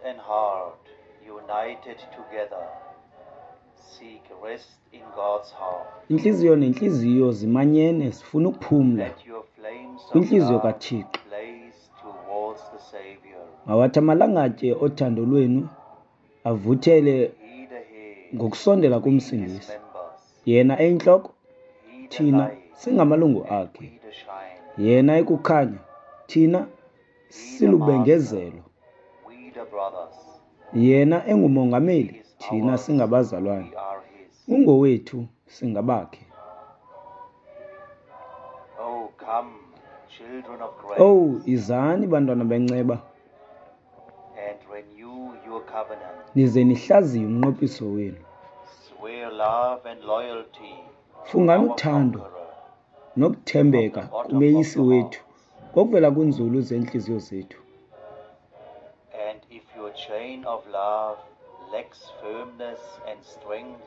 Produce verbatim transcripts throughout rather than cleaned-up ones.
and heart united together seek rest in God's heart. Intliziyo nentliziyo zimanyene zifuna ukuphumla Let your flames of kwintliziyo love kaThixo. blaze towards the Savior. Mawathi amalangatye othando lwenu avuthele He the head, ngokusondela we his kumsindisi. members. Yena eyintloko, He the thina light, singamalungu and akhe. we the shine. Yena ekukhanya, thina He the master, silubengezelo. we the brothers. Yena He engumongameli, is thina ours, singabazalwane. we are his. Ungowethu, singabakhe. Oh, come, children of grace, Owu, izani bantwana benceba, and renew your covenant. nize nihlaziye umnqophiso wenu. Swear love and loyalty to Fungani our uthando conqueror from the nokuthembeka bottom of kumeyisi your wethu hearts. ngokuvela kwinzulu zeentliziyo zethu. And if your chain of love lacks firmness and strength,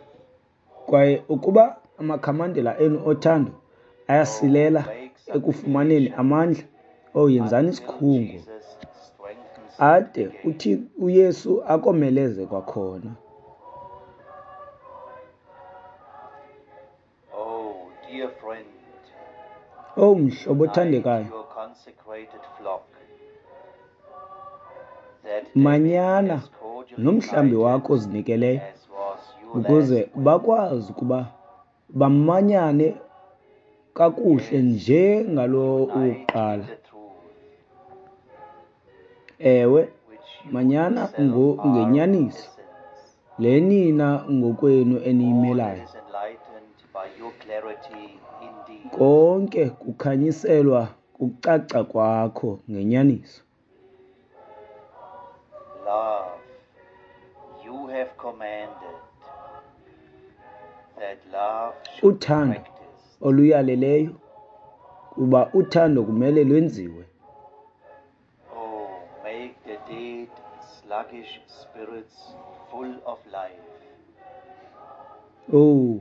Kwaye ukuba amakhamandela enu othando oh, ayasilela make ekufumaneni supplication amandla, owu yenzani until isikhungo Jesus strengthens it ade again. uthi uYesu akomeleze kwakhona. Oh, dear friend, Owu mhlobo unite othandekayo, your consecrated flock, that they may be manyana as cordially nomhlambi united wakho ozinikeleyo as was your ukuze last will. bakwazi ukuba bamanyane kakuhle Yes, njengalo unite in wokuqala. the truth, Ewe, which you manyana yourself ngo- are in ngenyaniso essence. le nina ngokwenu All that eniyimelayo. is enlightened by your clarity indeed. Konke kukhanyiselwa kucaca kwakho ngenyaniso. Love, you have commanded that love should be Uthando practiced. oluyaleleyo kuba uthando kumele lwenziwe. Oh, make the dead, sluggish spirits full of life. Owu,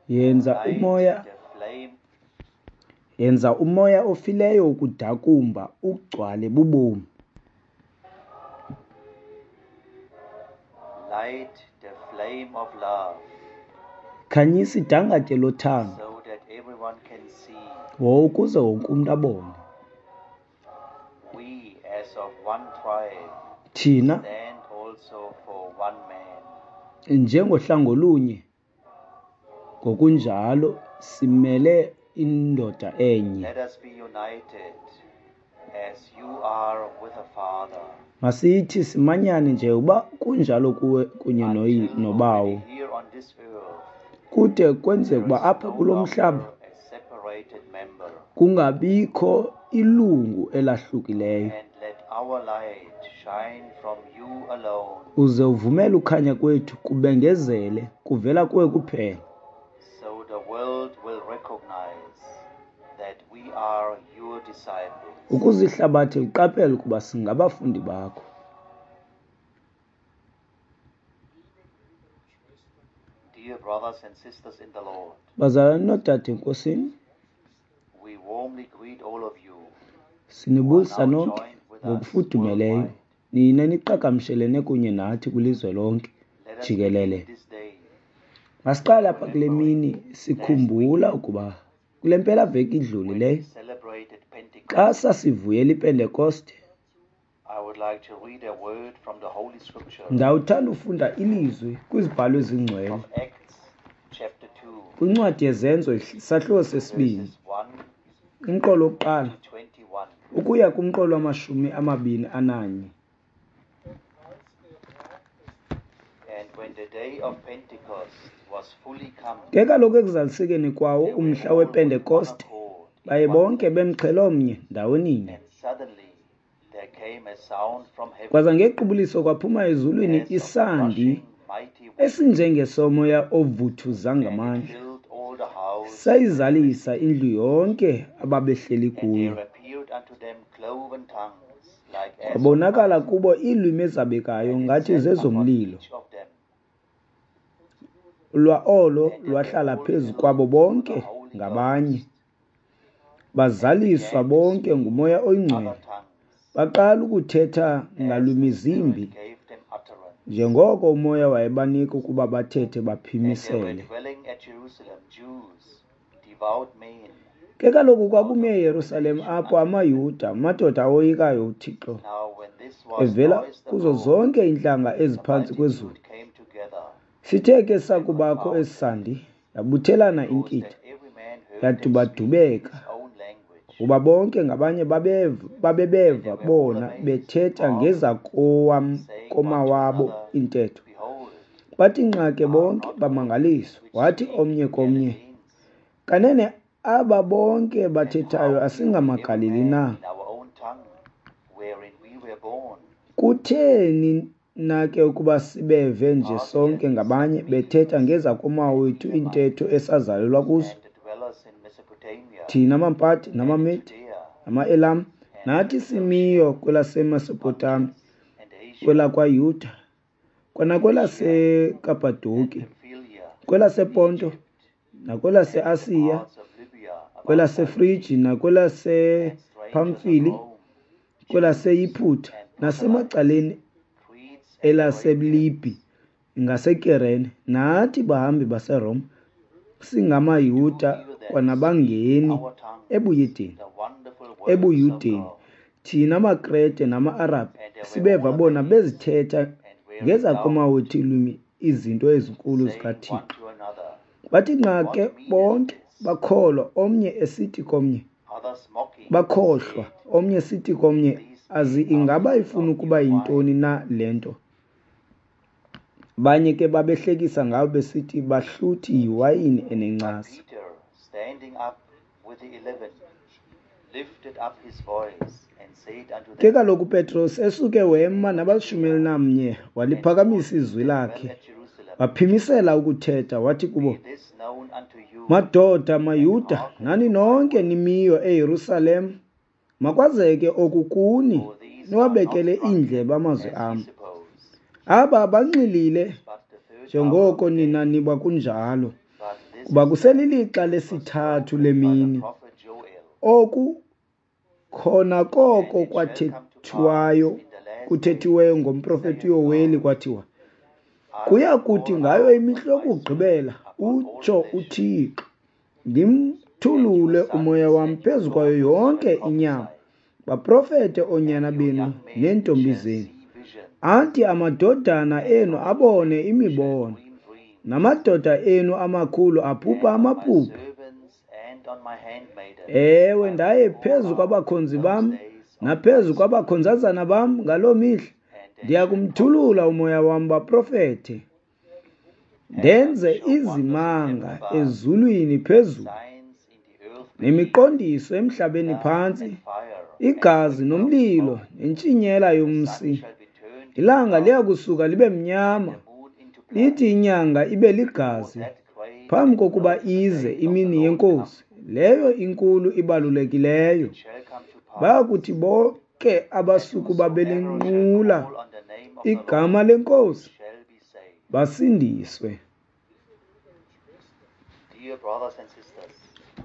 yenza Light umoya the flame yenza umoya ofileyo ukudakumba ugcwale bubomi. Light the flame of love Khanyisa idangatye lothando so that everyone can see wo ukuze wonke umntu abone. we as of one tribe Thina stand also for one man. njengohlango olunye ngokunjalo simele indoda enye. Let us be united as you are with the Father. Masithi simanyane nje uba kunjalo kuwe kunye noyi- Until nobawo. already here on this earth Kude kwenzeke there uba is apha no kulo mhlaba longer a separated member. kungabikho ilungu elahlukileyo. And let our light shine from you alone, Uze uvumele ukhanya kwethu kubengezele kuvela kuwe kuphela, so the world will recognize that we are your disciples. ukuze ihlabathi liqaphele ukuba singabafundi bakho. Dear brothers and sisters in the Lord, Bazalwane noodade eNkosini, we warmly greet all of you who are sinibulisa now nonke joined with us ngokufudumeleyo worldwide. nina niqhagamshelene kunye nathi kwilizwe lonke Let us jikelele. begin this day Masiqale apha kule remembering mini last week sikhumbula ukuba kule mpelaveki when we idlulileyo celebrated xa Pentecost. sasivuyela iPentekoste, I would like to read a word from the Holy Scripture ndawuthanda ufunda ilizwi kwizibhalo ezingcwele from Acts chapter two, kwincwadi yeZenzo isahluko sesibini verses one umqolo wokuqala to twenty-one. ukuya kumqolo wamashumi amabini ananye. And when the day of Pentecost was fully come, Ke kaloku ekuzalisekeni kwawo they were umhla all with one wePentekoste, accord in baye one bonke place. bemxhelomnye ndawoninye. And suddenly there came a sound from heaven Kwaza ngequbuliso kwaphuma ezulwini as of a isandi rushing mighty wind, esinjengesomoya ovuthuza and it ngamandla, filled all the house where they were sayizalisa sitting. indlu yonke ababehleli And kuyo. there appeared unto them cloven tongues like as of Kwabonakala fire, kubo iilwimi ezabekayo and it ngathi sat upon zezomlilo. each of them. Lwa olo And they were lwahlala all phezu filled kwabo with the bonke Holy ngabanye, Ghost, and bazaliswa began to bonke speak ngumoya with other oyingcwele, tongues Baqala ukuthetha as the ngalwimi Spirit zimbi, gave them utterance. njengoko uMoya wayebanika ukuba bathethe And there were baphimisele. dwelling at Jerusalem Jews, devout men, Ke kaloku out kwakume of every eYerusalem nation apho under heaven. amaYuda, amadoda awoyikayo uThixo, Now when this was evela noised kuzo abroad, zonke iintlanga the eziphantsi kwezulu. multitude came together Sithe ke and sakubakho esi confounded, sandi, yabuthelana because inkitha, that every man heard them speak in yadubadubeka, his own language. kuba bonke ngabanye babev- And they babebeva were all bona amazed and bethetha marveled, ngezakowam saying one to komawabo another, intetho. Behold, Bathi nqa ke are bonke not all these bamangaliswa. which Wathi speak omnye komnye, Galileans? Kanene aba bonke And bathethayo how hear we every asingamaGalili man na? in our own tongue, wherein we were born? Kutheni na ke ukuba sibeve nje sonke Parthians and ngabanye bethetha Medes ngezakomawethu and iintetho Elamites, esazalelwa kuzo? and the dwellers in Mesopotamia, Thina maMpati and in namaMedi Judea, namaElam, and in nathi Cappadocia, simiyo kwelaseMesopotami, Pontus, and Asia, kwelakwaYuda, Phrygia, kwanakwelaseKapadoki, and Pamphylia, kwelasePonto, Egypt, and the nakwelaseAsiya, parts of Libya about kwelaseFriji, Cyrene, and strangers of nakwelasePamfili, Rome, Jews kwelaseYiputa, and proselytes, nasemacaleni Cretes and Arabians, elaseLibhi ngaseKirene, nathi bahambi baseRoma, we do singamaYuda hear them speak in kwanabangeni our tongues ebuYideni, the wonderful works of ebuYudeni. God. Thina maKrete nama-Arabhi And they were sibeva all bona amazed bezithetha and were in doubt, ngezakomawethu iilwimi izinto ezinkulu saying one zikaThixo. to another, Bathi nqa ke What meaneth bonke this? bakholwa, omnye esithi komnye, Others mocking bakhohlwa, said, omnye esithi komnye, These azi men are ingaba full ifuna of ukuba new yintoni wine. na le nto. Abanye ke babehlekisa ngabo besithi bahluthi yiwayini But enencasa. Peter, standing up with the eleven, lifted up his voice and said unto Ke them, kaloku uPetros esuke wema Be nabalishumi of cheer, elinamnye, and all waliphakamisa ye izwi that dwell lakhe, at Jerusalem, waphimisela ukuthetha, wathi kubo, be this known unto you, Madoda and maYuda, hearken nani to my nonke words. nimiyo eYerusalem, makwazeke oku kuni, For these are not niwabekele drunken, iindlebe amazwi as ye am. suppose, Aba banxilile but the third hour of njengoko the day. nina niba kunjalo, But this kuba is that kuselilixa which was lesithathu spoken by the lemini. prophet Joel. Oku khona koko And it shall come to pass kwathethwayo in the last kuthethiweyo days, ngomprofeti saith uYoweli God, kwathiwa, I kuya will kuthi pour ngayo out of imihla my yokugqibela, spirit upon all utsho flesh, uThixo, and your ndimthulule uMoya sons wam and your phezu kwayo daughters shall yonke inyama, prophesy, baprofete oonyana and your benu young men neentombi shall zenu. see visions, Athi amadodana and enu your old abone men shall imibono, dream dreams, namadoda enu amakhulu aphupha and on my amaphupha. servants and on my handmaidens Ewe, I will ndaye pour phezu out in kwabakhonzi those bam days of my naphezu spirit, kwabakhonzazana bam ngaloo mihla, and they ndiya shall kumthulula prophesy. uMoya wam baprofete, And I will ndenze show wonders in heaven izimanga above, ezulwini and phezulu, signs in the earth beneath, nemiqondiso emhlabeni blood phantsi, and fire and igazi vapor of nomlilo smoke. nentshinyela The sun yomsi. shall be turned into Ilanga liya darkness, kusuka libe and mnyama, the moon into blood, lithi inyanga ibe before ligazi, that great phambi and kokuba glorious ize day of the imini Lord yeNkosi, come. leyo inkulu And ibalulekileyo. it shall come to pass Bayakuthi bonke that abasukuba whosoever shall belinqula call on the name of the igama Lord leNkosi shall be saved. basindiswe. Dear brothers and sisters,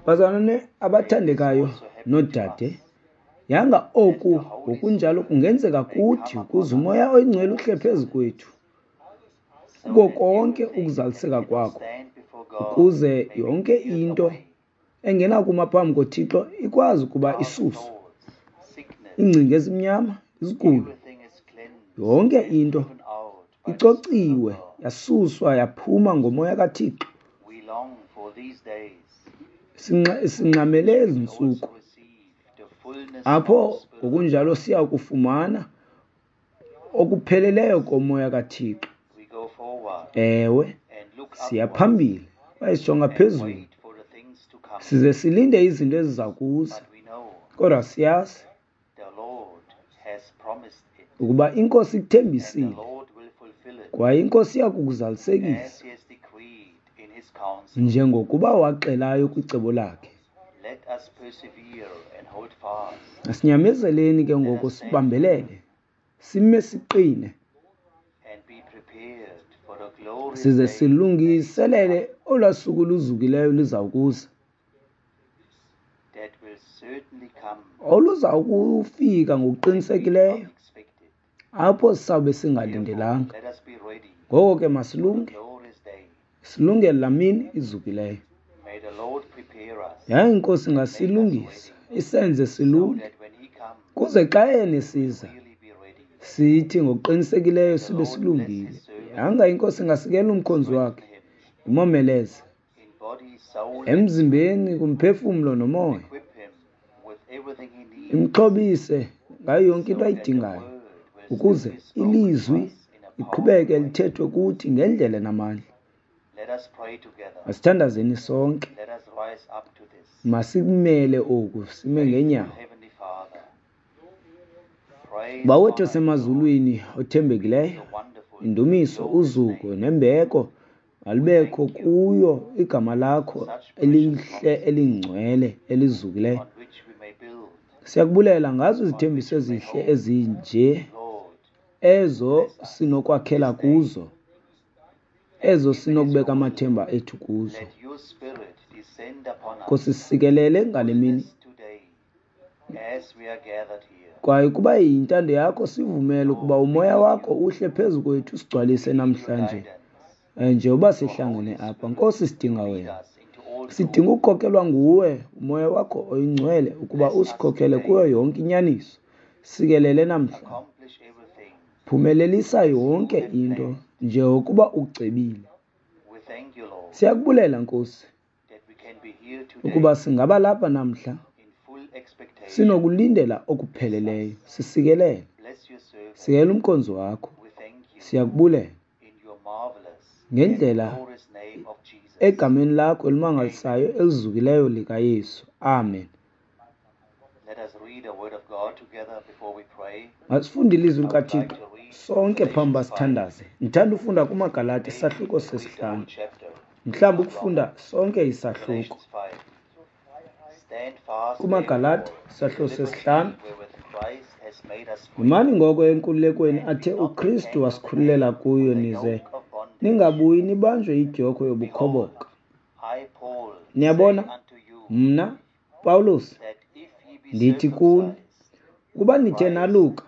Bazalwane may this abathandekayo also happen to noodade, us, yanga that the oku Holy ngokunjalo Spirit kungenzeka may kuthi come ukuze upon uMoya us oyiNgcwele all uhle his phezu fullness, kwethu so kuko that konke everything that ukuzaliseka cannot kwakho, stand before God ukuze may be yonke cleared into away. engenakuma phambi koThixo ikwazi ukuba Dark isuswe. thoughts, sickness, Iingcinga ezimnyama, izigulo, everything is cleansed yonke and into driven out by the Spirit of icociwe God. yasuswa yaphuma ngoMoya kaThixo. We long for these days Sinxa- in Sinxamele which ezi we ntsuku also receive the fullness of the apho Spirit of ngokunjalo God. siya kufumana okupheleleyo koMoya kaThixo. We go forward Ewe, and look siya upwards phambili kwaye sijonga and phezulu wait for the things to come. size silinde izinto eziza kuza, But we know kodwa siyazi the Lord has promised it, ukuba iNkosi and the ikuthembisile Lord will fulfill it kwaye iNkosi iya as kukuzalisekisa He has decreed in His counsel. njengokuba waxelayo kwicebo lakhe. Let us persevere and hold fast. Asinyamezeleni ke Let ngoku us stand firm sibambelele, sime siqine, and be prepared for the glorious size day that is to silungiselele come, olwaa suku luzukileyo luzawukuza, that will oluza kufika ngokuqinisekileyo apho sizawube singalindelanga. Ngoko ke masilunge, silungele laa mini izukileyo. Yaye iNkosi ingasilungisa, isenze silunge, kuze xa yena esiza sithi ngokuqinisekileyo sibe silungile. Yanga iNkosi ingasikela umkhonzi wakhe, imomeleze emzimbeni, kumphefumlo nomoya, imxhobise ngayo yonke into ayidingayo ukuze ilizwi liqhubeke lithethwe kuthi ngendlela enamandla. Masithandazeni sonke, masikumele oku, sime ngeenyawo. Bawethu osemazulwini othembekileyo, indumiso, uzuko nembeko malubekho kuyo igama lakho elihle, elingcwele, elizukileyo. Siyakubulela ngazo izithembiso ezihle ezinje ezo sinokwakhela kuzo, ezo sinokubeka amathemba ethu kuzo. Nkosi, sikelele ngale mini, kwaye kuba yintando yakho sivumele ukuba umoya wakho uhle phezu kwethu usigcwalise namhlanje njengoba sihlangene apha. Nkosi, sidinga wena, sidinga ukukhokelwa nguwe, umoya wakho oyingcwele, ukuba usikhokhele kuyo yonke inyaniso. Sikelele namhla, phumelelisa yonke into njengokuba ucebile. Siyakubulela Nkosi ukuba singaba lapha namhla sinokulindela okupheleleyo. Sisikelele, sikelela umkhonzi wakho. Siyakubulela ngendlela egameni lakho elimangalisayo elizukileyo likaYesu. Amen. Masifunde ilizwi likaThixo sonke phambi basithandaze. Ndithanda ufunda kumaGalati isahluko sesihlanu, mhlawumbi ukufunda sonke isahluko. KumaGalati isahluko sesihlanu. Yimani ngoko enkululekweni athe uKristu wasikhululela kuyo, nize ningabuyi nibanjwe idyokhwe yobukhoboka. Niyabona, mna Pawulos ndithi kuni, ukuba nithe naluka,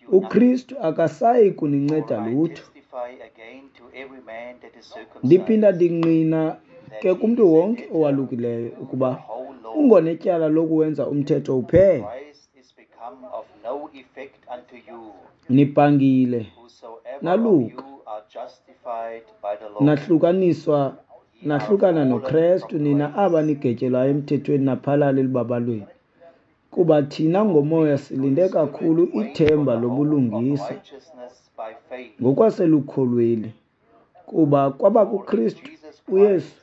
uKristu akasayi kuninceda lutho. Ndiphinda ndingqina ke kumntu wonke owalukileyo ukuba ungonetyala lokuwenza umthetho uphele. Nibhangile, naluka, nahlukaniswa, nahlukana noKrestu, nina aba nigetyelwayo emthethweni naphalala elubabalweni. Kuba thina ngomoya silinde kakhulu ithemba lobulungisa ngokwaselukholweni. Kuba kwaba kuKristu uYesu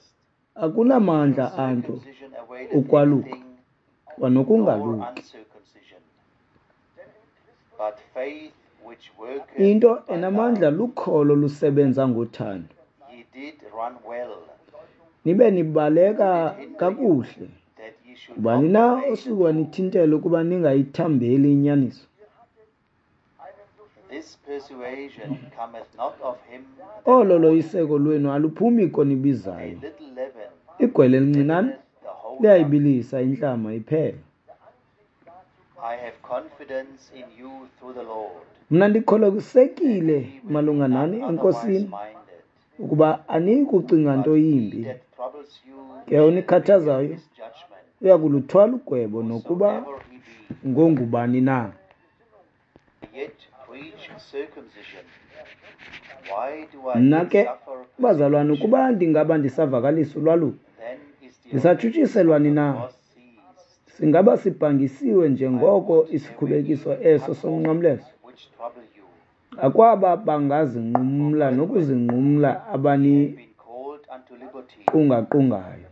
akunamandla anto ukwaluka kwanokungaluki. Into enamandla lukholo lusebenza ngothando. Nibe nibaleka kakuhle. Ngubani na osuke wanithintela ukuba ningayithambeli inyaniso? Olo loyiseko lwenu aluphumi konibizayo. Igwele elincinane liyayibilisa intlama iphela. Mna ndikholosekile malunga nani eNkosini ukuba aniyi kucinga nto yimbi. Ke onikhathazayo uya kuluthwala ugwebo nokuba ngongubani na. Mna ke, bazalwane, ukuba ndingaba ndisavakalisa ulwaluko, ndisatshutshiselwani na? Singaba sibhangisiwe njengoko isikhubekiso eso somnqamlezo? Akwaba bangazinqumla nokuzinqumla abaniqungaqungayo.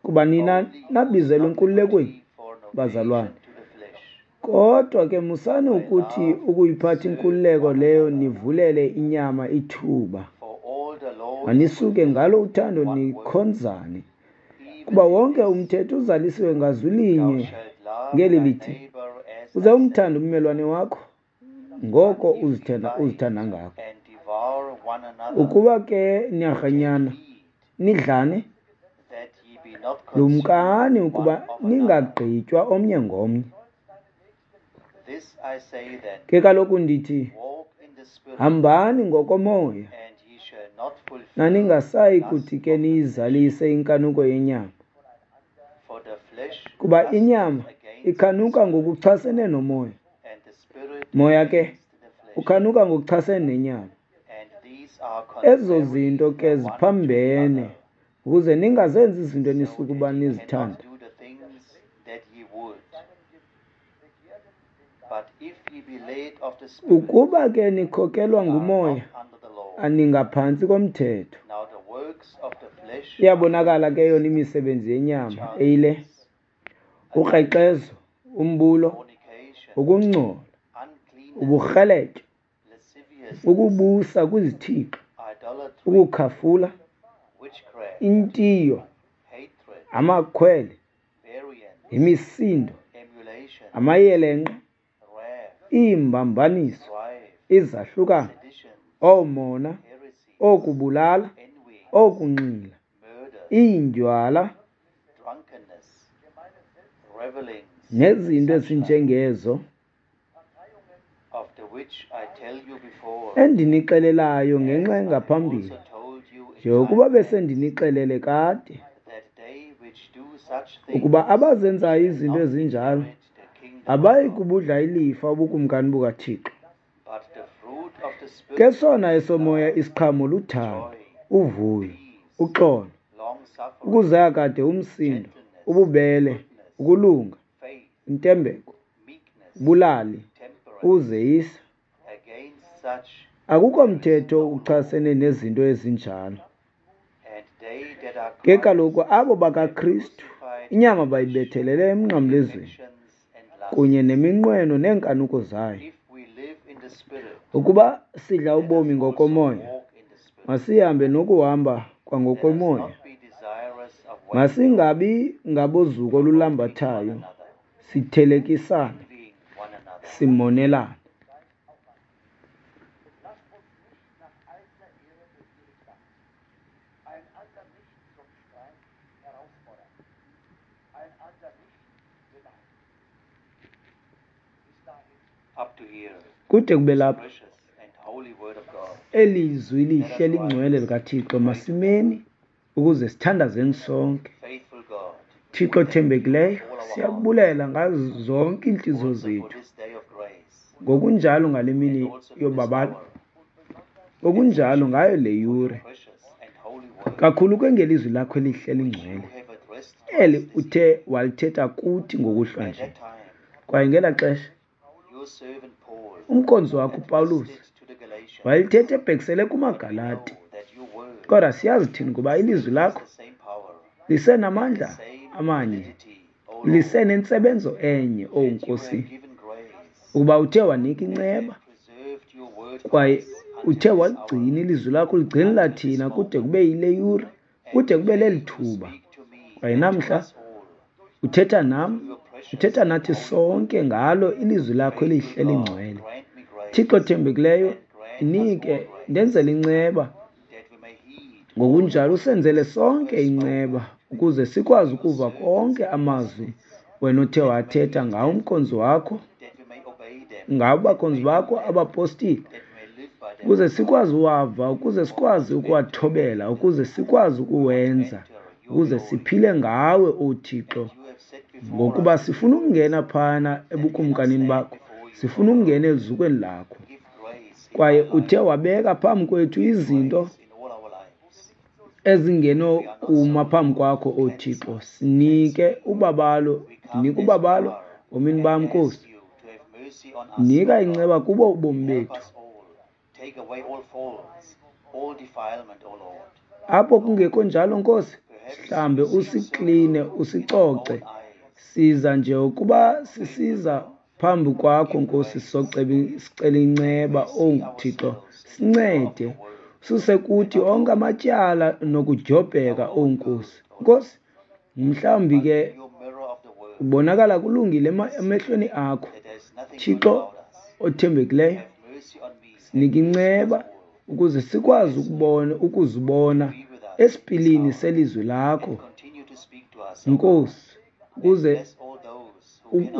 Kuba nina nabizelwe enkululekweni, bazalwane. Kodwa ke musani ukuthi ukuyiphatha inkululeko leyo nivulele inyama ithuba. Manisuke ngalo uthando nikhonzane. Kuba wonke umthetho uzalisiwe ngazwi linye ngeli lithi, uze umthande ummelwane wakho ngoko uzithanda uzithanda ngako. Ukuba ke niyarhanyana, nidlane, Lumkani ukuba ningagqitywa omnye ngomnye. Ke kaloku ndithi, hambani ngokomoya, naningasayi kuthi ke niyizalise inkanuko yenyama. Kuba inyama ikhanuka ngokuchasene nomoya, moya ke ukhanuka ngokuchasene nenyama. Ezo zinto ke ziphambene, ukuze ningazenzi izinto enisukuba nizithanda. Ukuba ke nikhokelwa ngumoya, aningaphantsi komthetho. Iyabonakala ke yona imisebenzi yenyama eyile: ukrexezo, umbulo, ukungcola, uburheletyo, ukubusa kwizithixo, ukukhafula, intiyo, amakhwele, imisindo, amayelenqe, iimbambaniso, izahlukano, oomona, ookubulala, ookunxila, iindywala, nezinto ezinjengezo, endinixelelayo ngenxa engaphambili, njengokuba besendinixelele kade, ukuba abazenzayo izinto ezinjalo abayi kubudla ilifa ubukumkani bukaThixo. Ke sona esomoya isiqhamo luthando, uvuyo, uxolo, ukuzeka kade umsindo, ububele, ukulunga, intembeko, ubulali, uzeyisa. Akukho mthetho uchasene nezinto ezinjalo. Ke kaloku abo bakaKristu inyama bayibethelele emnqamlezweni kunye neminqweno neenkanuko zayo. Ukuba sidla ubomi ngokomoya, masihambe nokuhamba kwangokomoya. Masingabi ngabozuko olulambathayo, sithelekisana, simonelana. Kude kube lapha, eli lizwi lihle lingcwele likaThixo, masimeni ukuze sithandazeni sonke. Thixo othembekileyo, siyakubulela ngazo zonke iintliziyo zethu, ngokunjalo ngale mini yobabalo, ngokunjalo ngayo le yure, kakhulu kwengelizwi lakho elihle lingcwele, eli uthe walithetha kuthi ngokuhlwa nje. Kwaye ngelaa xesha umkhonzi wakho uPawulos wayelithetha ebhekisele kumaGalati, kodwa siyazi thina ukuba ilizwi lakho lisenamandla amanye, lisenentsebenzo enye, owu Nkosi, ukuba uthe wanika inceba kwaye uthe waligcina ilizwi lakho, uligcinela thina kude kube yile yure, kude kube leli thuba. Kwaye namhla uthetha nam, uthetha nathi sonke ngalo ilizwi lakho elihle lingcwele. Thixo othembekileyo, ndinike, ndenzele inceba, ngokunjalo usenzele sonke inceba, ukuze sikwazi ukuva konke amazwi wena othe wathetha ngawo umkhonzi wakho, ngabo bakhonzi bakho abapostile, ukuze sikwazi uwava, ukuze sikwazi ukuwathobela, ukuze sikwazi ukuwenza, ukuze siphile ngawe, o Thixo, ngokuba sifuna ukungena phana ebukumkanini bakho, sifuna ukungena eluzukweni lakho. Kwaye uthe wabeka phambi kwethu izinto ezingenokuma phambi kwakho, o Thixo. Sinike ubabalo, ndinike ubabalo bomini bam, Nkosi. Nika inceba kubo ubomi bethu. Apho kungekho njalo, Nkosi, sihlambe usikline, usicoce. Siza nje ukuba sisiza phambi kwakho, Nkosi, sicela inceba, owu Thixo, sincede. Suse kuthi onke amatyala nokudyobheka, owu Nkosi. Nkosi, mhlawumbi ke ubonakala kulungile emehlweni akho. Thixo othembekileyo, sinike inceba ukuze sikwazi ukubona, ukuzibona esipilini selizwi lakho, Nkosi, ukuze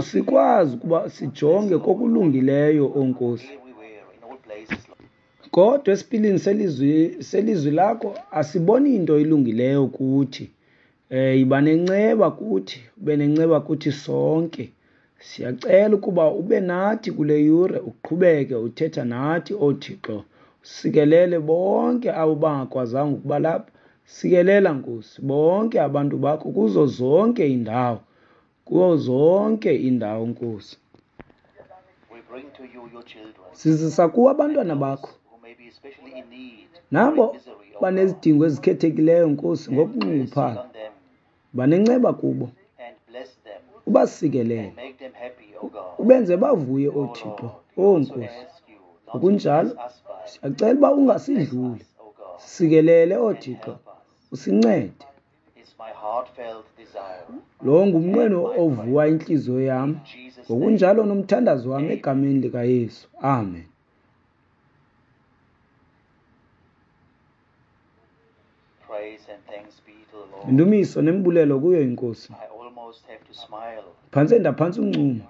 sikwazi ukuba sijonge kokulungileyo, o Nkosi. Kodwa esipilini selizwi selizwi lakho asiboni into ilungileyo kuthi. Eh iba nenceba kuthi, ube nenceba kuthi sonke. Siyacela ukuba ube nathi kule yure, uqhubeke uthetha nathi, o Thixo. Sikelele bonke abo bangakwazanga ukuba lapha. Sikelela Nkosi bonke abantu bakho kuzo zonke iindawo, kuzo zonke iindawo Nkosi. Sizisa kuwe abantwana bakho nabo banezidingo ezikhethekileyo Nkosi, ngokunxunguphala. Banenceba kubo, ubasikelele, ubenze bavuye, o Thixo, o Nkosi. Ngokunjalo siyacela uba ungasidluli, sikelele, o Thixo, usincede. Lo ngumnqweno ovuwa intliziyo yam, ngokunjalo nomthandazo wam egameni likaYesu. Amen. Indumiso nembulelo kuyo iNkosi. Phantse ndaphantsa uncumo.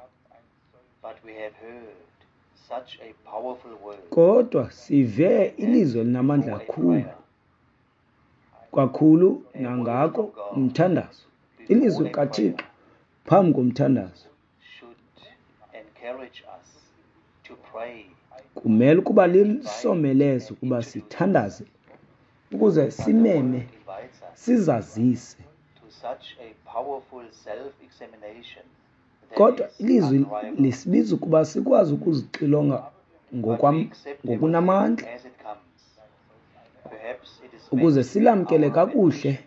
Kodwa sive ilizwi elinamandla kakhulu, kakhulu nangako umthandazo. Ilizwi likaThixo phambi komthandazo kumele ukuba lisomeleze ukuba sithandaze ukuze simeme, sizazise. Kodwa ilizwi lisibiza ukuba sikwazi ukuzixilonga ngokunamandla ukuze silamkele kakuhle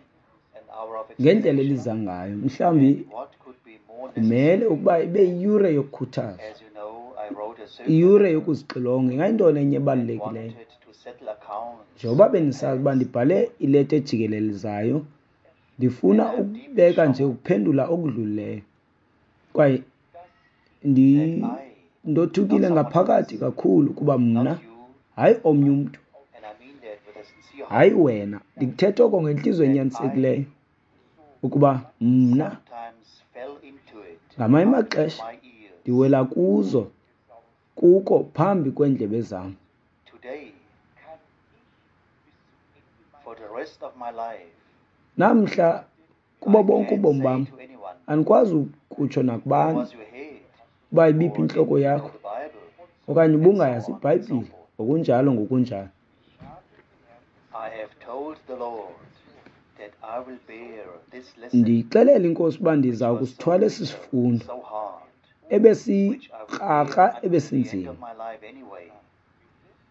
ngendlela eliza ngayo. Mhlawumbi kumele ukuba ibe yiyure yokukhuthaza, iyure yokuzixilonga. Ingayintoni enye ebalulekileyo? Njengoba benisazi uba ndibhale ileta ejikelelezayo, ndifuna ukubeka nje ukuphendula okudlulileyo. Kwaye ndothukile ngaphakathi kakhulu kuba mna, hayi omnye umntu, hayi wena, ndikuthetha oko ngentliziyo enyanisekileyo, ukuba mna ngamanye amaxesha ndiwela kuzo kuko phambi kweendlebe zam. Namhla kubo bonke ubomi bam andikwazi ukutsho nakubani uba ibiphi intloko yakho okanye ubungayazi iBhayibhile, ngokunjalo ngokunjalo. Ndiyixelele iNkosi uba ndiza kusithwala esi sifundo ebesikrakra, ebesinzima,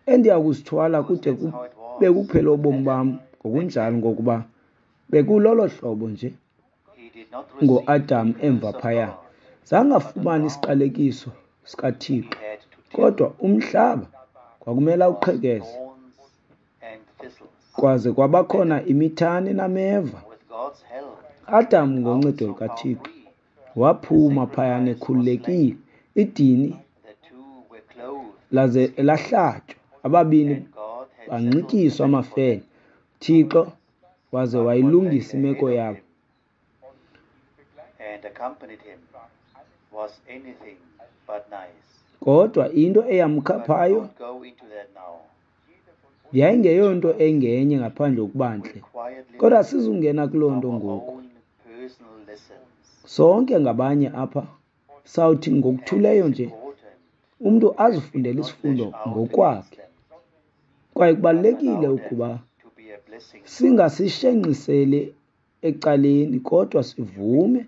endiya kusithwala kude kube kuphela ubomi bam, ngokunjalo, ngokuba bekulolo hlobo nje ngoAdam emva phaya. Zange afumane isiqalekiso sikaThixo, kodwa umhlaba kwakumele awuqhekeze, kwaze kwabakhona imithane nameva. Adam ngoncedo lukaThixo waphuma phayana ekhululekile, idini laze lahlatywa, ababini banxityiswa amafele, Thixo waze wayilungisa imeko yabo. Kodwa into eyamkhaphayo yayingeyonto engenye ngaphandle kokuba ntle. Kodwa sizungena kuloo nto ngoku. Sonke ngabanye apha sawuthi ngokuthuleyo nje umntu azifundele isifundo ngokwakhe. Kwaye kubalulekile ukuba singasishenxiseli ecaleni, kodwa sivume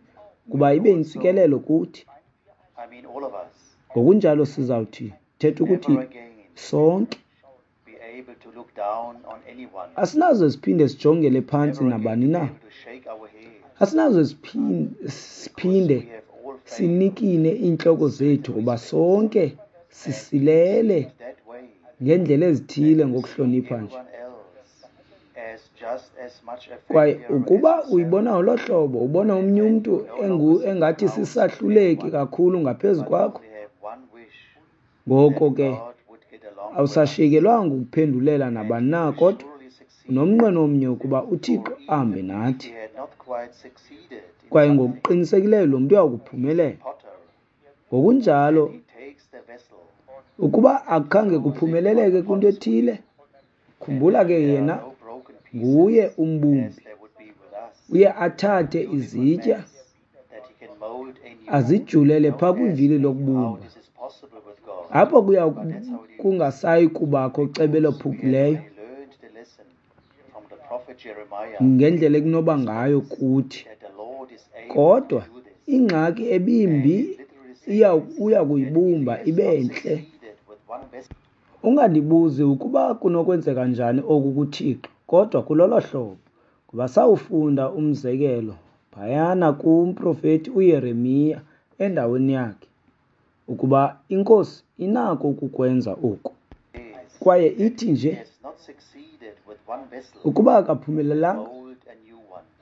ukuba ibe yintsikelelo kuthi. Ngokunjalo sizawuthi thetha ukuthi sonke asinaze siphinde sijongele phantsi nabani na, asinaze siphinde sinikine iintloko zethu, ngoba sonke sisilele ngeendlela ezithile ngokuhlonipha nje. Kwaye ukuba uyibona ngolo hlobo, ubona omnye umntu engathi sisahluleki kakhulu ngaphezu kwakho, ngoko ke awusashiyekelwanga ukuphendulela nabani na, kodwa unomnqweno omnye ukuba uThixo ahambe nathi. Kwaye ngokuqinisekileyo lo mntu uyakuphumelela. Ngokunjalo, ukuba akukhange kuphumeleleke kwinto ethile, khumbula ke yena nguye umbumbi. Uye athathe izitya azijulele phaa kwivili lokubumba. Apho kuya kungasayi kubakho cebo elophukileyo ngendlela ekunoba ngayo kuthi. Kodwa ingxaki ebimbi iya uya kuyibumba ibe ntle. Ungandibuzi ukuba kunokwenzeka njani oku kuThixo, kodwa kulolo hlobo. Ngoba sawufunda umzekelo phayana kumprofeti uYeremiya endaweni yakhe, ukuba iNkosi inako ukukwenza oku. Kwaye ithi nje, ukuba akaphumelelanga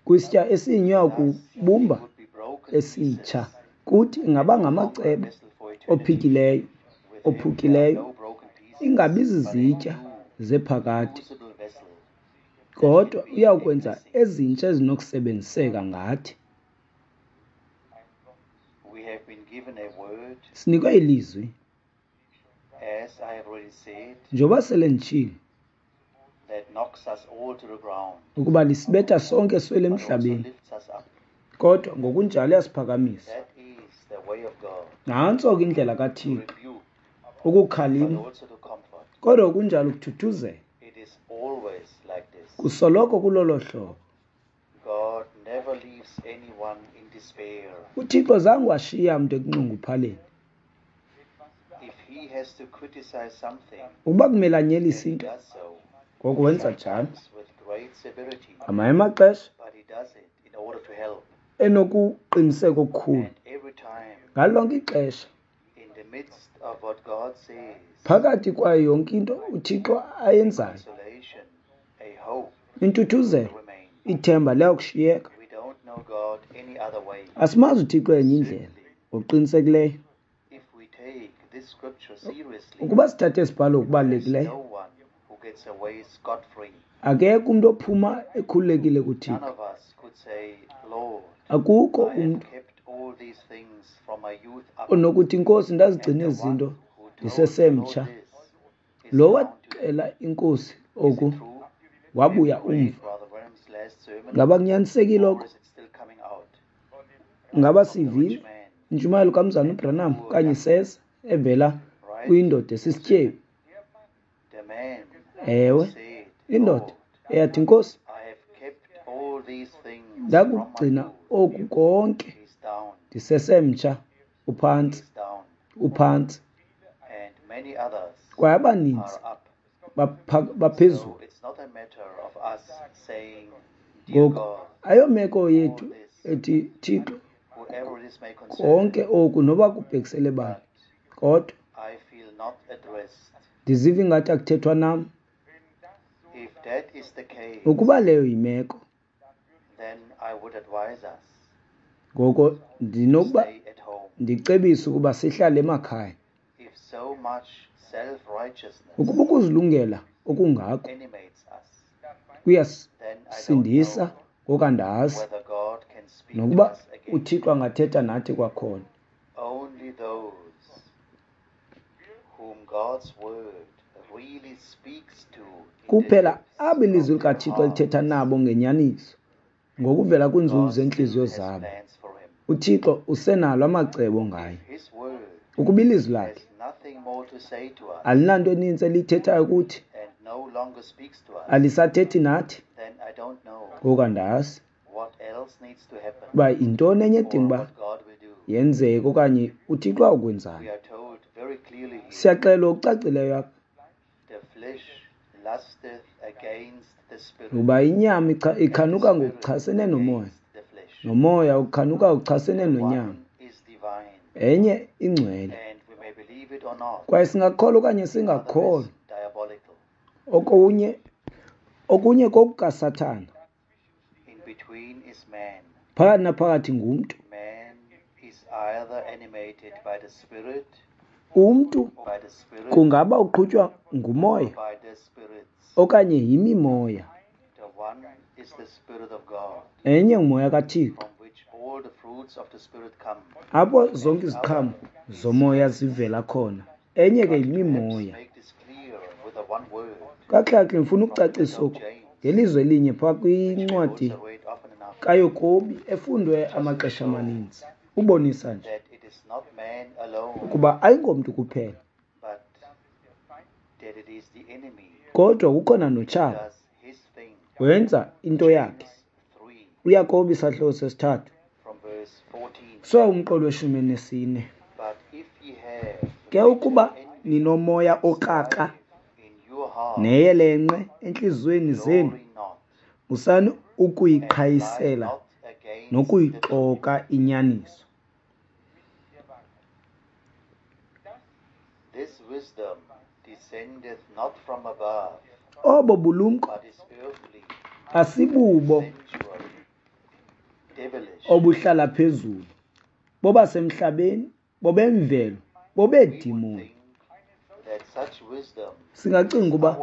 kwisitya esinye, uyakubumba esitsha. Kuthi ingaba ngamacebo ophikileyo, ophukileyo, ingabi zizitya zephakade, kodwa uyakwenza ezintsha ezinokusebenziseka ngathi. Sinikwe ilizwi, njengoba sele nditshilo, ukuba lisibetha sonke siwele emhlabeni, kodwa ngokunjalo liyasiphakamisa. Nantso ke indlela kaThixo, ukukhalima, kodwa ngokunjalo ukuthuthuzela. Kusoloko kulolo hlobo. UThixo zange washiya mntu ekunxunguphaleni. Ukuba kumele anyelise into, ngoko wenza njalo. Ngamanye amaxesha enokuqiniseka okukhulu. Ngalo lonke ixesha, phakathi kwayo yonke into uThixo ayenzayo, intuthuzelo, ithemba liyakushiyeka. Asimazi uThixo enye indlela, ngokuqinisekileyo. Ukuba sithathe isibhalo ngokubalulekileyo, akekho umntu ophuma ekhululekile kuThixo. Akukho umntu onokuthi, Nkosi, ndazigcina ezi zinto ndisesemtsha. Lo waxela iNkosi oku wabuya umva. Ngaba kunyanisekile oko? Ngaba sivile intshumayelo kaMzalwana uBranham okanye iseza evela kwindoda esisityebi? Ewe, indoda eyathi, Nkosi, ndakugcina oku konke ndisesemtsha, uphantsi, uphantsi. Kwaye abaninzi baphezulu. Ngoku ayomeko yethu ethi, Thixo, konke oku noba kubhekisele bani, kodwa ndiziva ingathi akuthethwa nam. Ukuba leyo yimeko, ngoko ndinokuba ndicebise ukuba sihlale emakhaya. Ukuba ukuzilungela okungako kuyasindisa, ngoko andazi nokuba uThixo angathetha nathi kwakhona. Kuphela abo ilizwi likaThixo lithetha nabo ngenyaniso, ngokuvela kwiinzulu zeentliziyo zabo, uThixo usenalo amacebo ngaye. Ukuba ilizwi lakhe alinanto eninzi eliyithethayo kuthi, alisathethi nathi, ngoku andazi uba yintoni enye edinga uba yenzeke okanye uThixo awukwenzani. Siyaxelwa okucacileyo apha ukuba inyama ikhanuka ngokuchasene nomoya, nomoya ukhanuka ngokuchasene nonyama. Enye ingcwele. Kwaye singakholwa okanye singakholwa, okunye okunye kokukaSathana. Phakathi naphakathi ngumntu. Umntu kungaba uqhutywa ngumoya okanye yimimoya. Enye ngumoya kaThixo, Apho zonke iziqhamo zomoya zivela khona. Enye ke yimimoya. Kakuhle ndifuna ukucacisa oku ngelizwi elinye phaa kwincwadi kaYakobi efundwe amaxesha amaninzi. Ubonisa nje ukuba ayingomntu kuphela, kodwa kukhona notshaba, wenza into yakhe. UYakobi isahluko sesithathu so umqolo weshumi elinesine. Ke ukuba ninomoya okrakra neyelenqe entliziyweni zenu, musani ukuyiqhayisela nokuyixoka inyaniso. Obo bulumko asibubo obuhlala phezulu, bobasemhlabeni, bobemvelo, bobeedimoni. Singacinga ukuba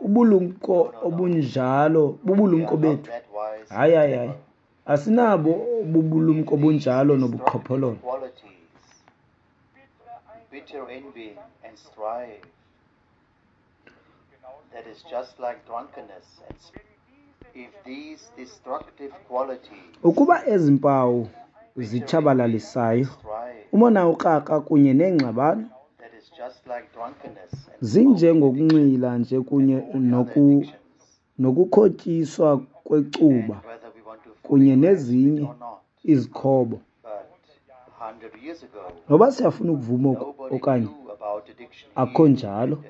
ubulumko obunjalo bubulumko bethu. Hayi, hayi, hayi, asinabo ubulumko obunjalo nobuqhophololo. Ukuba ezi mpawu zitshabalalisayo, umona ukrakra kunye neengxabano, zinjengokunxila nje kunye noku nokukhotyiswa kwecuba kunye nezinye izikhobo. Noba siyafuna ukuvuma oku okanye akho njalo,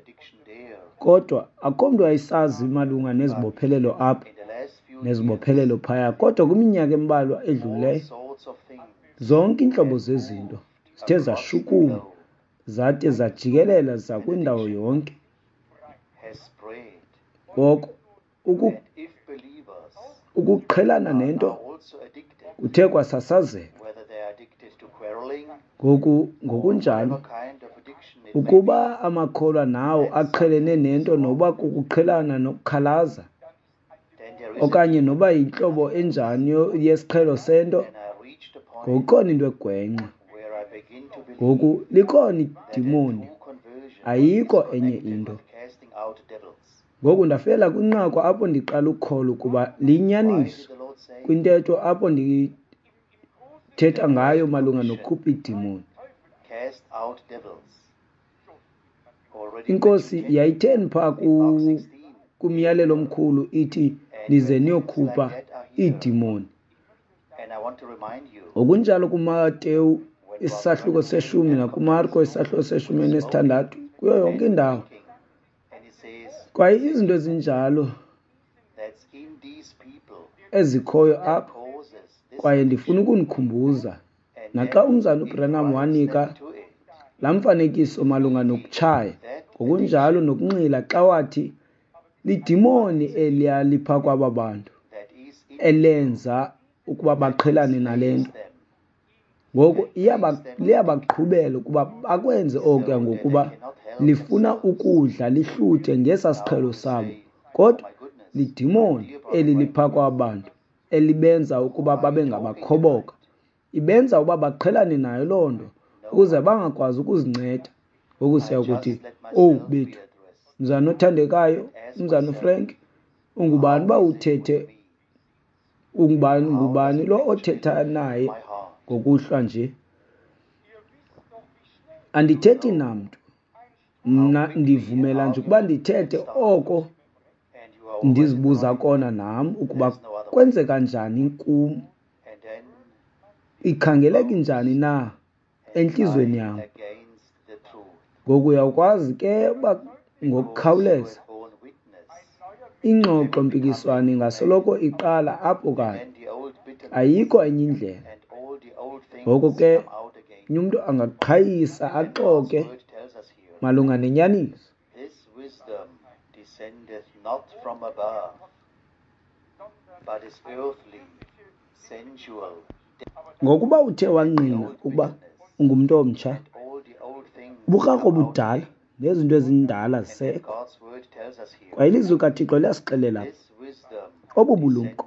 kodwa akho mntu wayesazi malunga nezibophelelo apha nezibophelelo phaya. Kodwa kwiminyaka embalwa edlulileyo, zonke iintlobo zezinto zithe zashukuma zade zajikelela zakwindawo yonke. Ngoko ukuqhelana nento kuthe kwasasazeka. Ngoku ngokunjalo, ukuba amakholwa nawo aqhelene nento noba kukuqhelana nokukhalaza okanye noba yintlobo enjani yesiqhelo sento, ngokukhona into egwenxa. Ngoku likhona idimoni, ayikho enye into. Ngoku ndafela kwinqaku apho ndiqala ukukholwa ukuba liyinyaniso kwintetho apho ndithetha ngayo malunga nokukhupha iidimoni. Inkosi yayitheni phaa kumyalelo omkhulu ithi nize niyokhupha iidimoni. Ngokunjalo kuMateyu isahluko seshumi nakuMarko isahluko seshumi elinesithandathu, kuyo yonke indawo. Kwaye izinto ezinjalo ezikhoyo apha, kwaye ndifuna ukunikhumbuza naxa umzana uBranham wanika laa mfanekiso malunga nokutshaya, ngokunjalo nokunxila, xa wathi lidimoni eliya lipha kwaba bantu elenza ukuba baqhelane nale nto. Ngoku liyabaqhubela ukuba bakwenze okuya ngokuba lifuna ukudla lihluthe ngesa siqhelo sabo. Kodwa lidimoni eli lipha kwaba bantu elibenza ukuba babe ngabakhoboka. Ibenza ukuba baqhelane nayo loo nto ukuze bangakwazi ukuzinceda. Ngoku siyakuthi, owu bethu, mzana othandekayo, umzana uFrank, ungubani uba uthethe, ungubani, ngubani lo othetha naye ngokuhlwa nje? Andithethi namntu. Mna ndivumela nje ukuba ndithethe oko ndizibuza kona nam ukuba kwenzeka njani kum, ikhangeleka njani na entliziyweni yam. Ngoku uyakwazi ke uba ngokukhawuleza ingxoxo-mpikiswano ingasoloko iqala apho kanye, ayikho enye indlela. Ngoko ke umntu angaqhayisa axoke malunga nenyaniso. Ngokuba uthe wangqina ukuba ungumntu omtsha, ubukrakra obudala nezinto ezindala zisekho. Kwaye ilizwi kaThixo liyasixelela obu bulumko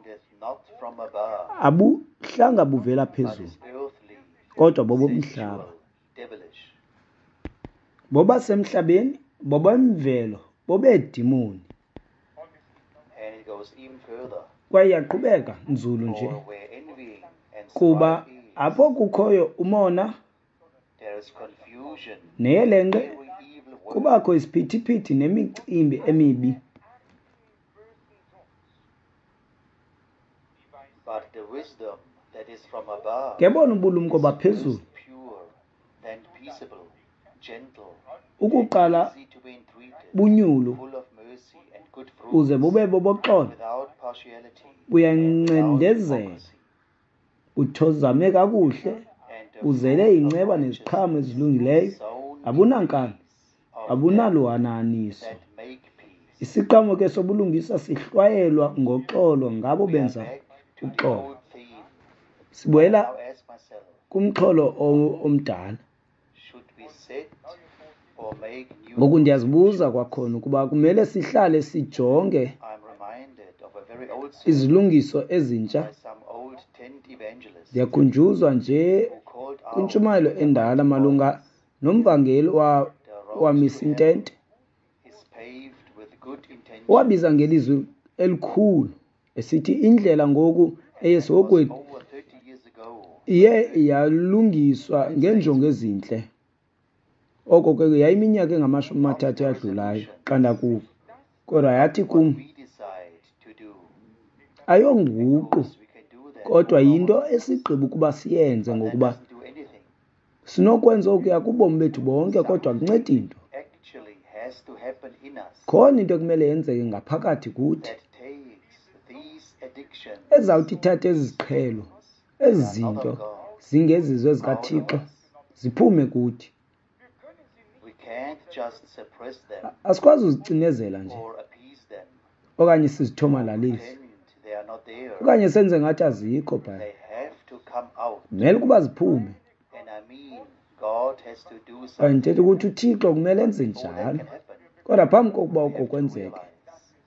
abu abuhlanga buvela but phezulu, is earthly, kodwa bobomhlaba. sensual, devilish. Bobasemhlabeni, bobemvelo, bobeedimoni. And it goes even further. Kwaye iyaqhubeka nzulu nje, For where envying and kuba strife is, apho kukhoyo umona there is confusion neyelenqe, every evil work. kubakho isiphithiphithi nemicimbi emibi. But the wisdom that is from above Ke bona ubulumko is baphezulu first pure, then peaceable, gentle, ukuqala easy to be entreated, bunyulu, full of mercy and good buze fruits, bube boboxolo, without partiality and without buyancendezela, hypocrisy. buthozame kakuhle, And the buzele fruit of inceba neziqhamo righteousness ezilungileyo, is sown in abunankani, peace of them abunaluhanahaniso. that make peace. Isiqhamo ke sobulungisa sihlwayelwa ngoxolo ngabo We are benza back to the uxolo. old theme. Sibuyela I now ask myself, kumxholo o- omdala. should we set or make new Ngoku ndiyazibuza kwakhona ukuba kumele sihlale sijonge I'm reminded of a very old sermon izilungiso ezintsha. by some old tent evangelist Ndiyakhunjuzwa nje who called out kwintshumayelo in a endala mighty malunga voice, nomvangeli wa- "The road to wamisa hell intente, is paved with good intentions." owabiza ngelizwi elikhulu esithi indlela ngoku And that was eyesihogweni over thirty years ago. iye yalungiswa ngeenjongo ezintle. Oko ke yayiminyaka engamashumi Not amathathu the eyadlulayo resolutions, xa ndakuva. Kodwa yathi what kum, we decide to do, ayonguqu, because we can do that kodwa all our yinto lives, esigqiba ukuba siyenze, but that ngokuba doesn't do anything. sinokwenza okuya kubomi bethu bonke, kodwa Something akuncedi nto. actually has to happen in us Khona into ekumele yenzeke ngaphakathi kuthi that takes these addictions ezawuthi ithathe ezi ziqhelo, ezi that are not zinto of God zingezizo out of ezikaThixo us. ziphume kuthi. We can't just suppress them Asikwazi uzicinezela nje or appease them okanye or sizithomalalise pretend they are not there. okanye senze ngathi azikho phaya. They have to come out. Kumele ukuba ziphume. And I mean, God has to do Kwaye something ndithetha ukuthi uThixo kumele enze before that njalo. can happen. Kodwa phambi kokuba We oko have to kwenzeke, realize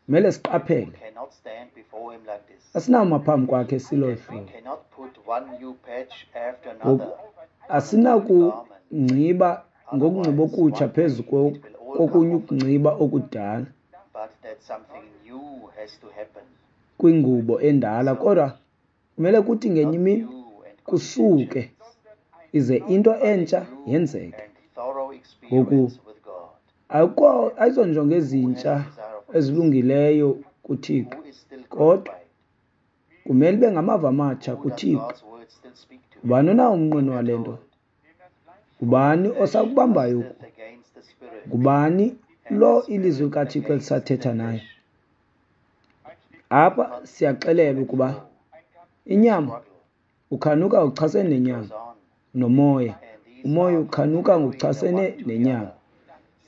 kumele we siqaphele. cannot stand before Him like this. Asinawuma phambi kwakhe silo That we hlobo. cannot put one new patch after Ngoku another on an old garment. asinakungciba ngokungciba Otherwise, okutsha one phezu day ko- it will all come kokunye off again. ukungciba okudala But that something new has to happen. kwingubo endala, So, kodwa kumele kuthi ngenye not imini new and good kusuke intentions, ize into but a entsha new yenzeke. and thorough Ngoku experience with God. akukho ayizonjongo Who has ezintsha desire of this? ezilungileyo kuThixo, Who is still kodwa gratified? kumele ibe ngamava amatsha Who does kuThixo. God's word still speak to? Ngubani onawo umnqweno We are wale nto? told, For the Ngubani flesh osakubambayo oku? lusteth against the spirit, Ngubani and the lo ilizwi spirit likaThixo against the elisathetha naye? flesh. Apha Conflict to siyaxelelwa and ukuba fro, inyama struggle, ukhanuka uchasene it nenyama, goes on. nomoya And these umoya are ukhanuka contrary the ngokuchasene one to the nenyama. other,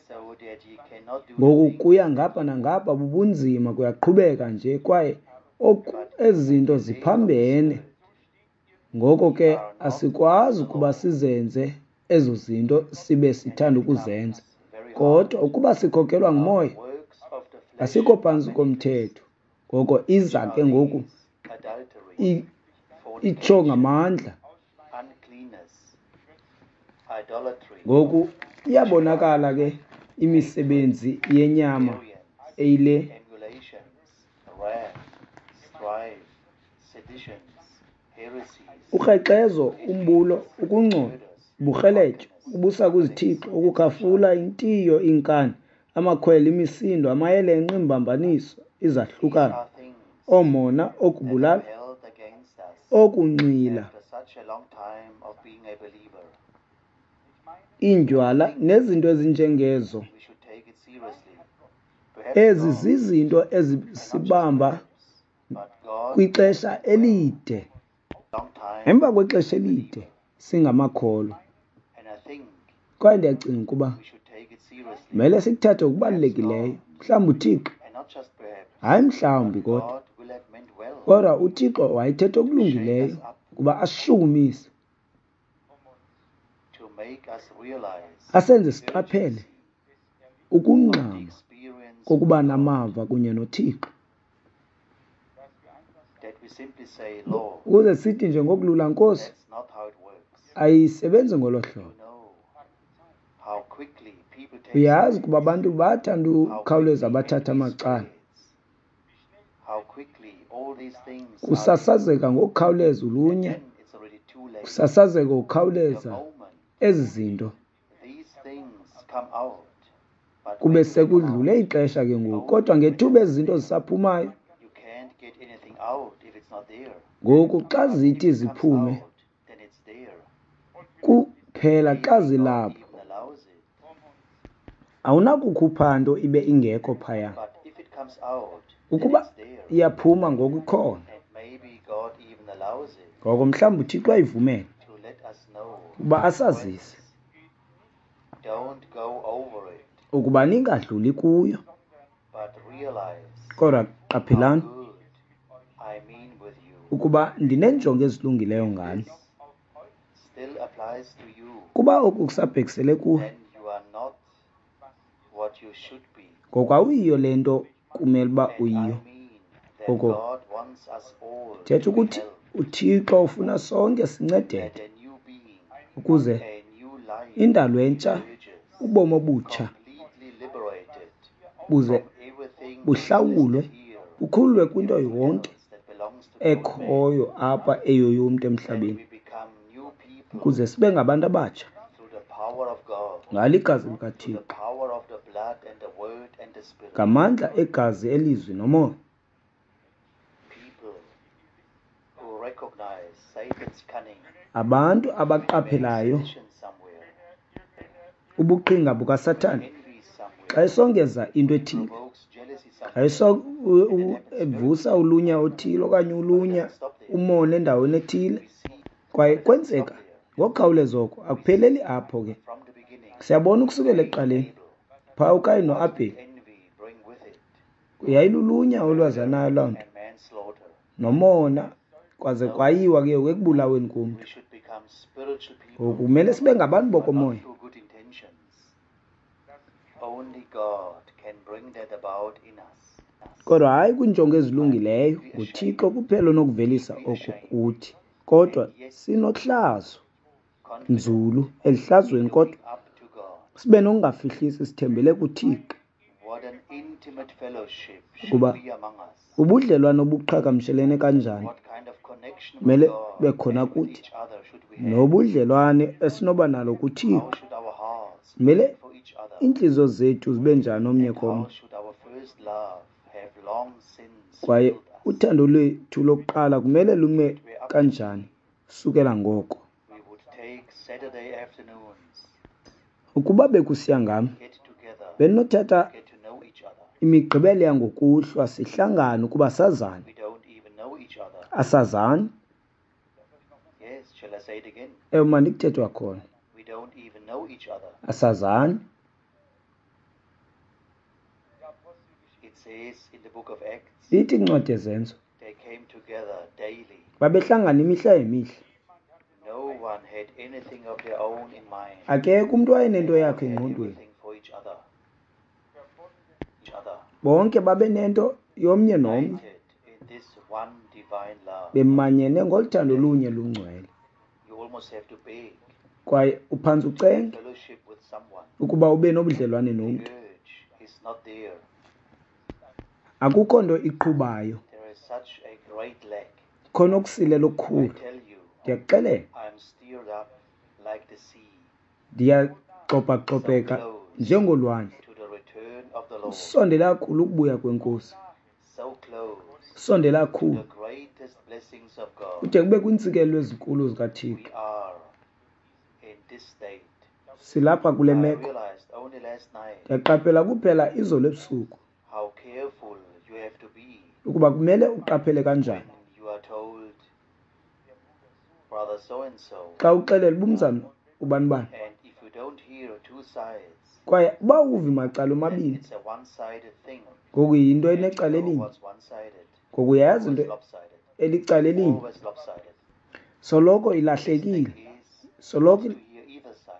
so that ye cannot do the Ngoku things kuya that ngapha ye would. nangapha bubunzima, kuyaqhubeka nje, kwaye oku But ezi in zinto the day of the ziphambene. Spirit, Ngoko ye ke are not asikwazi under the ukuba law, sizenze ezo zinto sibe and sithanda it ukuzenza. becomes very hard. Kodwa ukuba sikhokelwa Now the ngumoya, works of the flesh asikho are phantsi manifest, komthetho. Ngoko iza which ke are ngoku these: adultery, i- itsho fornication, ngamandla. uncleanness, idolatry, Ngoku iyabonakala witchcraft, ke imisebenzi hatred, yenyama variance, eyile emulations, wrath, strife, seditions, heresies, ukrexezo, umbulo, envies, ukungcola, murders, uburheletyo, drunkenness, ubusa kwizithixo, et cetera. ukukhafula, intiyo, iinkani, amakhwele, imisindo, amayelenqe, iimbambaniso, These izahlukano, are things oomona, that are okubulala, held against us okunxila, after such a long time of being a believer. I iindywala think nezinto ezinjengezo. we should take it seriously. Perhaps Ezi God, zizinto and not just ezisibamba perhaps, but God kwixesha meant well, elide, long time emva of kwexesha being a elide believer. singamakholwa. And I think Kwaye ndiyacinga ukuba we should take it seriously. kumele sikuthathe Perhaps ngokubalulekileyo. God, Mhlawumbi uThixo, and not just perhaps, hayi mhlawumbi but kodwa, God will have meant well kodwa uThixo wayethetha to shake us okulungileyo up, ukuba asishukumise, to make us realize asenze the siqaphele urgency of the ukungxama experience kokuba with God, namava kunye noThixo, that Ukuze sithi nje ngokulula, Nkosi, ayisebenzi ngolo hlobo. Uyazi ukuba abantu bathanda ukukhawuleza bathatha amacala. Kusasazeka ngokukhawuleza ulunya, kusasazeka ngokukhawuleza ezi zinto. Kube sekudlule ixesha ke ngoku, kodwa ngethuba ezi zinto zisaphumayo, ngoku xa zithi ziphume kuphela xa zilapho, awunakukhupha nto ibe ingekho phaya. Ukuba iyaphuma ngoku ikhona, ngoko mhlawumbi uThixo ayivumele ukuba asazise ukuba ningadluli kuyo. Kodwa qaphelani ukuba ndineenjongo ezilungileyo ngani. Kuba oku kusabhekisele kuwe, ngoku awuyiyo le nto kumele uba uyiyo. Ngoko thetha ukuthi uThixo ufuna sonke sincedeke ukuze indalo entsha, ubomi obutsha buze buhlawulwe, bukhululwe kwinto yonke ekhoyo apha eyoyomntu emhlabeni, ukuze sibe ngabantu abatsha ngalo igazi likaThixo, ngamandla egazi, elizwi nomoya. Abantu abaqaphelayo ubuqhinga bukaSathane xa esongeza into ethile, xa evusa ulunya othile okanye ulunya umona endaweni ethile, kwaye kwenzeka ngokukhawuleza oko, akupheleli apho ke. Siyabona ukusukela ekuqaleni phaa uKayin noAbheli yayilulunya olwazanayo loo nto nomona, kwaze kwayiwa ke ekubulaweni komntu. Ngoku kumele sibe ngabantu bokomoya. Kodwa hayi kwiinjongo ezilungileyo, nguThixo kuphela onokuvelisa oko kuthi. Kodwa sinohlazo nzulu elihlazweni, kodwa sibe nokungafihlisi, sithembele kuThixo. Kuba ubudlelwane obuqhagamshelene kanjani kumele bube khona kuthi, nobudlelwane esinoba nalo kuThixo. Kumele iintliziyo zethu zibe njani omnye komnye, kwaye uthando lwethu lokuqala kumele lume kanjani sukela ngoko. Ukuba bekusiya ngam, bendinothatha imigqibelo yangokuhlwa sihlangane ukuba sazane. Asazani. Ewe, mandikuthethe kwakhona. Asazani. Ithi incwadi yeZenzo, babehlangana imihla ngemihla. Akekho umntu wayenento yakhe engqondweni. Bonke babenento yomnye nomnye, bemanyene ngolu thando lunye lungcwele. Kwaye uphantsi ucenge ukuba ube nobudlelwane nomntu. Akukho nto iqhubayo. Khona okusilela okukhulu. Ndiyakuxelela, ndiyagxobhagxobheka njengolwandle. Usondele kakhulu ukubuya kweNkosi, usondele kakhulu kude kube kwiintsikelelo ezinkulu zikaThixo. Silapha kule meko. Ndiyaqaphela kuphela izolo ebusuku ukuba kumele uqaphele kanjani xa uxelela ubumzana ubani bani, kwaye uba uvi macala omabini, ngoku yinto enecala elinye, ngoku uyayazi into elicala elinye, soloko ilahlekile, soloko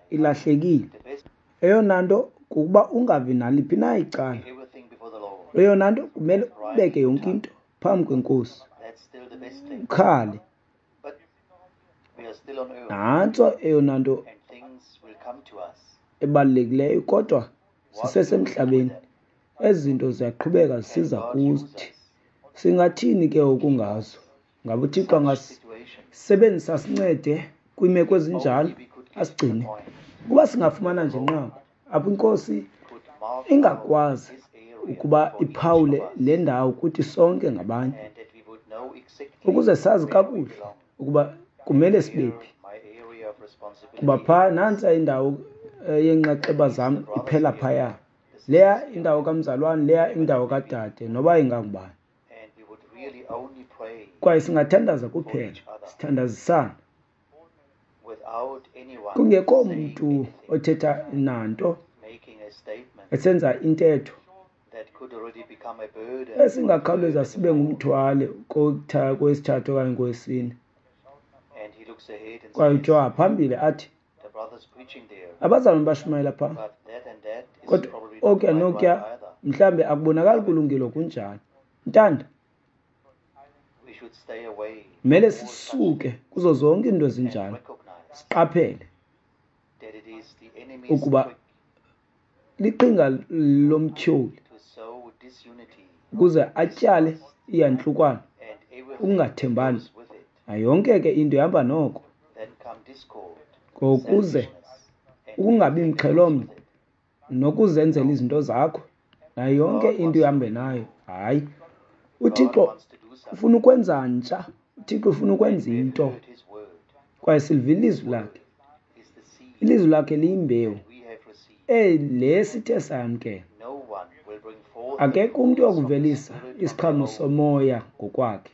ilahlekile. Eyona nto kukuba ungavi naliphi na icala. Eyona nto kumele ubeke yonke into phambi kweNkosi. Ukhale. Nantso eyona nto ebalulekileyo, kodwa sisesemhlabeni. Ezi zinto ziyaqhubeka zisiza kuthi. Singathini ke ukungazo? Ngaba uThixo angasebenzisa sincede kwiimeko ezinjalo, asigcine? Ukuba singafumana nje inqaku apho iNkosi ingakwazi ukuba iphawule le ndawo kuthi sonke ngabanye, ukuze sazi kakuhle ukuba kumele sibephi. Kuba phaa nantsa indawo yenxaxheba zam iphela phaya. Leya indawo kamzalwane, leya indawo kadade, noba ingangubani. Kwaye singathandaza kuphela, sithandazisana, kungekho mntu othetha nanto, esenza intetho esingakhawuleza sibe ngumthwalo kowesithathu okanye kowesine. Kwaye ujonga phambili athi, abazalwane bashumayela phaa, kodwa okuya nokuya mhlawumbi akubonakali kulungile kunjalo. Ntanda, kumele sisuke kuzo zonke iinto ezinjalo, siqaphele ukuba liqhinga lomtyholi ukuze atyale iyantlukwano, ukungathembani, nayo yonke ke into ihamba noko. Ngokuze ukungabi mxhelomnye nokuzenzela izinto zakho, nayo yonke into ihambe nayo. Hayi, uThixo ufuna ukwenza ntsha, uThixo ufuna ukwenza into, kwaye silivile ilizwi lakhe. Ilizwi lakhe liyimbewu le sithe sayamkela. Akekho umntu oyakuvelisa isiqhamo somoya ngokwakhe.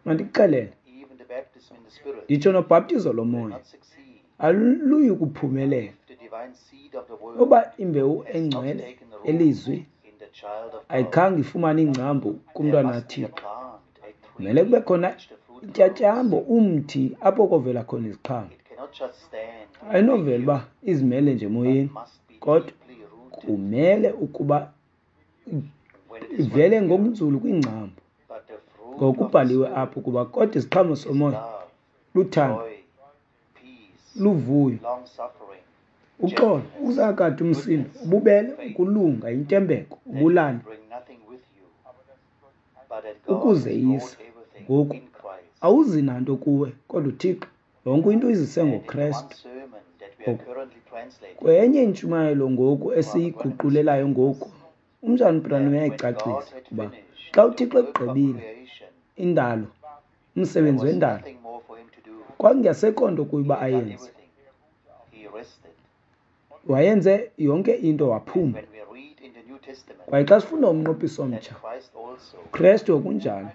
Mandikuxelele, nditsho nobhaptizo lomoya aluyi kuphumelela uba imbewu engcwele elizwi ayikhange ifumane ingcambu kumntwana kaThixo. Kumele kube khona intyatyambo, umthi apho kovela khona iziqhamo. Ayinovela uba izimele nje emoyeni, kodwa kumele ukuba ivele ngokunzulu kwingcambu. Ngokubhaliwe apho ukuba kodwa isiqhamo somoya luthando, luvuyo, uxolo, ukuzakade umsindo, ububele, ukulunga, intembeko, ubulali, ukuzeyisa. Ngoku awuzi nanto kuwe, kodwa uThixo yonke into uyizise ngoKrestu. Kwenye intshumayelo ngoku esiyiguqulelayo ngoku, umzalwane uBranham uyayicacisa ukuba xa uThixo egqibile indalo, umsebenzi wendalo, kwakungasekho nto kuye uba ayenze. Wayenze yonke into, waphumla. Kwaye xa sifunda umnqophiso omtsha, uKrestu okunjalo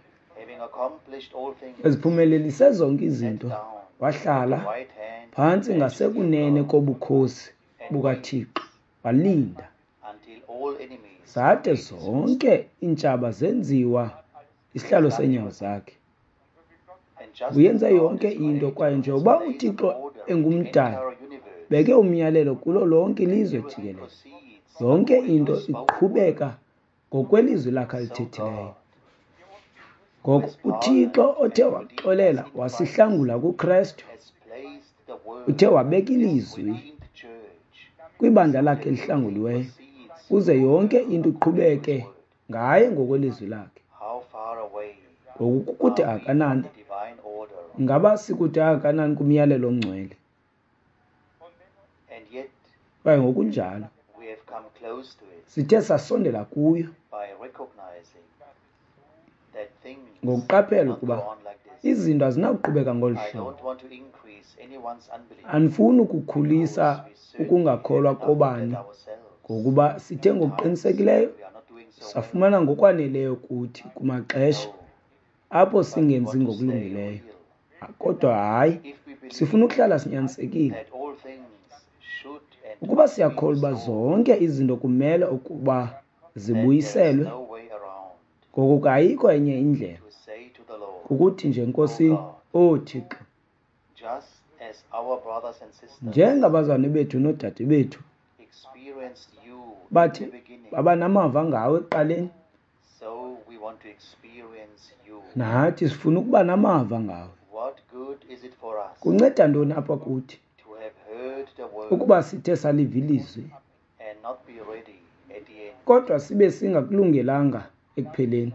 eziphumelelise zonke izinto, wahlala phantsi ngasekunene kobukhosi bukaThixo, walinda zade zonke iintshaba zenziwa isihlalo seenyawo zakhe. Uyenze yonke into, kwaye njengoba uThixo engumdali, beke umyalelo kulo lonke ilizwe jikelele. Yonke into iqhubeka ngokwelizwi lakhe alithethileyo. Ngoko uThixo othe waxolela wasihlangula kuKrestu, uthe wabeka ilizwi kwibandla lakhe elihlanguliweyo, ukuze yonke into iqhubeke ngaye ngokwelizwi lakhe. Ngoku kukude akanani? Ngaba sikude akanani kumyalelo ongcwele? Kwaye ngokunjalo sithe sasondela kuyo ngokuqaphela ukuba izinto azinakuqhubeka ngolu hlobo. Andifuni ukukhulisa ukungakholwa kobani, ngokuba sithe ngokuqinisekileyo safumana ngokwaneleyo kuthi kumaxesha apho singenzi ngokulungileyo. Kodwa hayi, sifuna ukuhlala sinyanisekile. Ukuba siyakholwa uba zonke izinto kumele ukuba zibuyiselwe, ngoko ke ayikho enye indlela kukuthi nje, Nkosini, O Thixo, njengabazalwane bethu noodade bethu bathi baba namava ngawe ekuqaleni, Nathi sifuna ukuba namava ngawe. Kunceda ntoni apha kuthi ukuba sithe saliva ilizwi kodwa sibe singakulungelanga ekupheleni?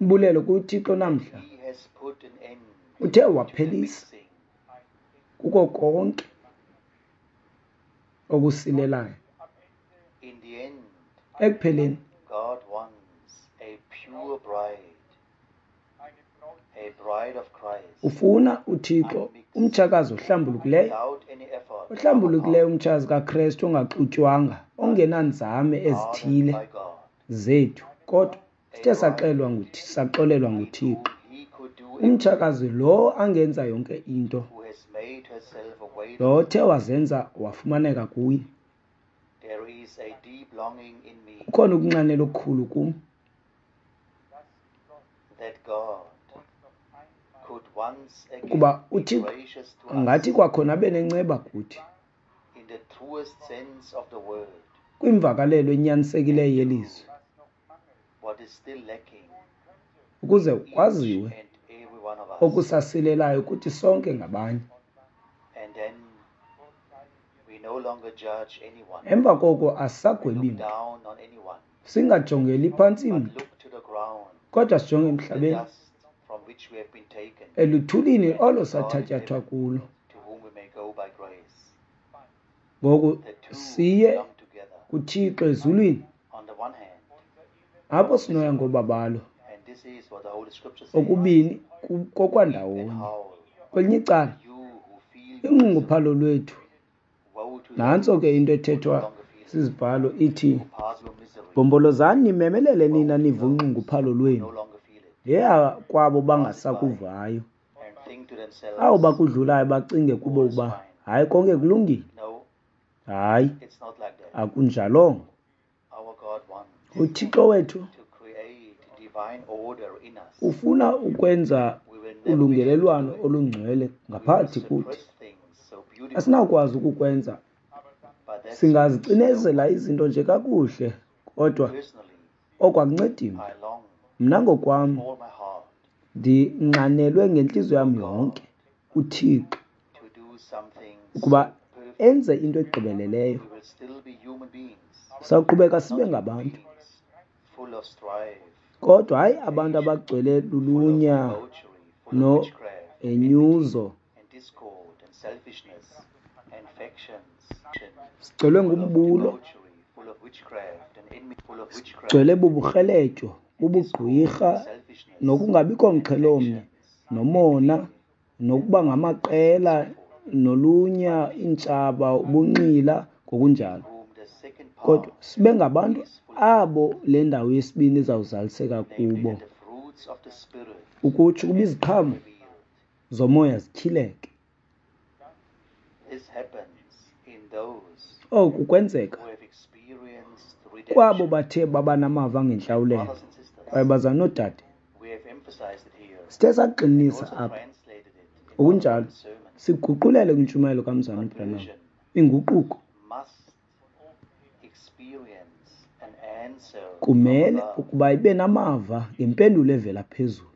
Umbulelo kuThixo namhla uthe waphelisa kuko konke okusilelayo. Ekupheleni ufuna uThixo umtshakazi ohlambulukileyo, ohlambulukileyo umtshakazi kaKrestu ongaxutywanga, ongenanzame ezithile zethu, kodwa sithe saxelwa nguThixo, saxolelwa nguThixo. Umtshakazi lo angenza yonke into, lo othe wazenza wafumaneka kuye. Kukhona ukunxanela okukhulu kum ukuba uThixo angathi kwakhona abe nenceba kuthi kwimvakalelo enyanisekileyo yelizwi, ukuze kwaziwe okusasilelayo kuthi sonke ngabanye. Emva koko asisagwebi mntu, singajongeli phantsi mntu, kodwa sijonge emhlabeni, eluthulini olo sathatyathwa kulo. Ngoku siye kuThixo ezulwini, apho sinoya ngobabalo okubini kokwandawonye. Kwelinye icala, inxunguphalo lwethu, nantso ke into ethethwa sizibhalo ithi, bhombolozani nimemelele nina niva unxunguphalo lwenu, yeya kwabo bangasakuvayo, abo bakudlulayo bacinge kubo uba hayi konke kulungile. Hayi, akunjalongo. UThixo wethu ufuna ukwenza ulungelelwano olungcwele ngaphakathi kuthi. Asinakwazi ukukwenza, singazicinezela izinto nje kakuhle, kodwa oko akuncedi mntu. Mna ngokwam ndinxanelwe ngentliziyo yam yonke uThixo ukuba enze into egqibeleleyo. Sawuqhubeka sibe ngabantu, kodwa hayi abantu abagcwele lulunya nohenyuzo, sigcwele ngumbulo, sigcwele buburheletyo, bubugqwirha, nokungabikho mxhelomnye, nomona, nokuba ngamaqela, nolunya, iintshaba, ubunxila, ngokunjalo. Kodwa sibe ngabantu abo le ndawo yesibini izawuzaliseka kubo, ukutsho ukuba iziqhamo zomoya zityhileke. Oku kwenzeka kwabo bathe baba namava ngentlawulelo. Kwaye bazalwane noodade, sithe sagxininisa apha, okunjalo siguqulele kwintshumayelo kaMzalwana uBranham. Inguquko kumele ukuba ibe namava ngempendulo evela phezulu.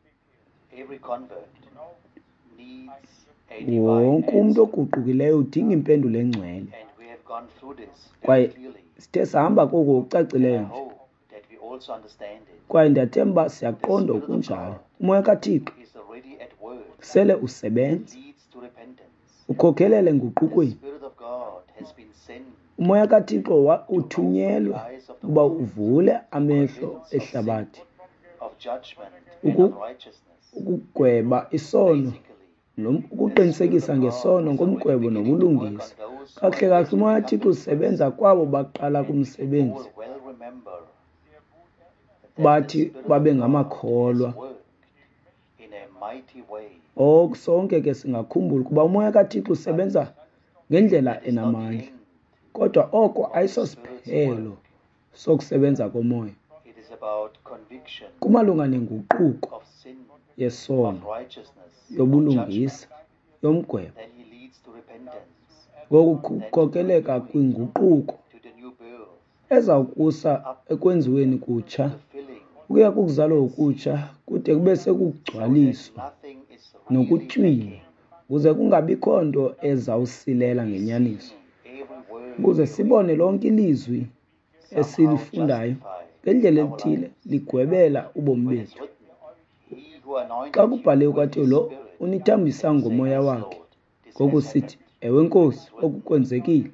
Wonke umntu oguqukileyo udinga impendulo engcwele. Kwaye sithe sahamba koko ngokucacileyo nje. Kwaye ndiyathemba siyaqonda okunjalo. Umoya kaThixo sele usebenza, ukhokhelele enguqukweni. Umoya kaThixo uthunyelwe ukuba uvule amehlo ehlabathi, ukugweba isono, ukuqinisekisa ngesono, ngomgwebo nobulungisa. Kakuhle kakuhle umoya kaThixo usebenza kwabo baqala kumsebenzi, bathi babe ngamakholwa. Oku sonke ke singakhumbula ukuba umoya kaThixo usebenza ngendlela enamandla, kodwa oko ayisosiphelo sokusebenza komoya. Kumalunga nenguquko yesono, yobulungisa, yomgwebo, ngoku kukhokeleka kwinguquko ezawukusa ekwenziweni kutsha, Ukuya kukuzalwa okutsha kude kube sekugcwaliswa nokutywinwa, ukuze kungabikho nto ezawusilela ngenyaniso, ukuze sibone lonke ilizwi esilifundayo ngendlela ethile ligwebela ubomi bethu. Xa kubhaliwe kwathiwa lo unithambisa ngomoya wakhe, ngoku sithi, ewe Nkosi, oku kwenzekile.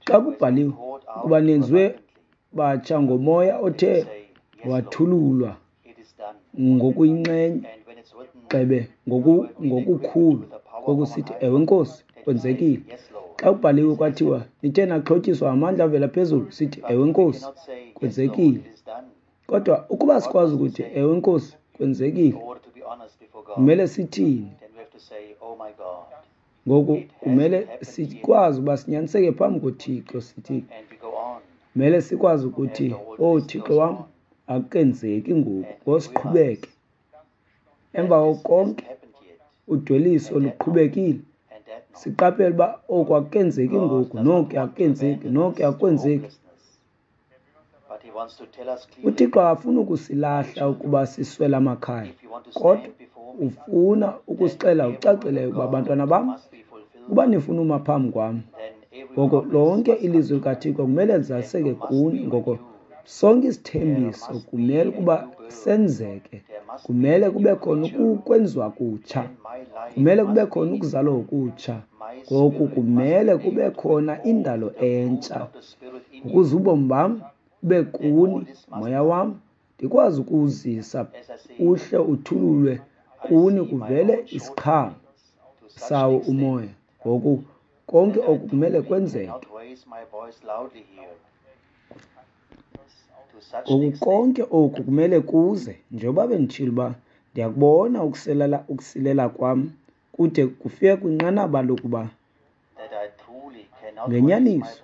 Xa kubhaliwe ukuba nenziwe batsha ngomoya othe wathululwa ngokuyinxenye gxebe ngokukhulu, ngoku sithi, ewe Nkosi, kwenzekile. Xa kubhaliwe kwathiwa nithe naxhotyiswa ngamandla avela phezulu, sithi, ewe Nkosi, kwenzekile. Kodwa ukuba sikwazi ukuthi ewe Nkosi, kwenzekile, kumele sithini? Ngoku kumele sikwazi uba sinyaniseke phambi koThixo, sithi kumele sikwazi ukuthi, oh Thixo wam, akukenzeki ngoku, ngosiqhubeke. Emva koko konke udweliso luqhubekile, siqaphele uba oku akukenzeki ngoku, noku akukenzeki, noku akwenzeki. UThixo akafuni ukusilahla ukuba siswele amakhaya, kodwa ufuna ukusixelela ngokucacileyo ukuba, bantwana bam, ukuba nifuna uma phambi kwam, ngoko lonke ilizwi likaThixo kumele lizaliseke kuni. Ngoko sonke isithembiso kumele ukuba senzeke, kumele kube khona ukwenziwa kutsha, kumele kube khona ukuzalwa okutsha. Ngoku kumele kube khona indalo entsha ukuze ubomi bam bube kuni, moya wam ndikwazi ukuwuzisa uhle uthululwe kuni, kuvele isiqhamo sawo umoya. Ngoku konke oku kumele kwenzeke. Ngoku konke oku kumele kuze, njengoba benditshilo uba ndiyakubona ukusilela, ukusilela kwam kude kufike kwinqanaba lokuba ngenyaniso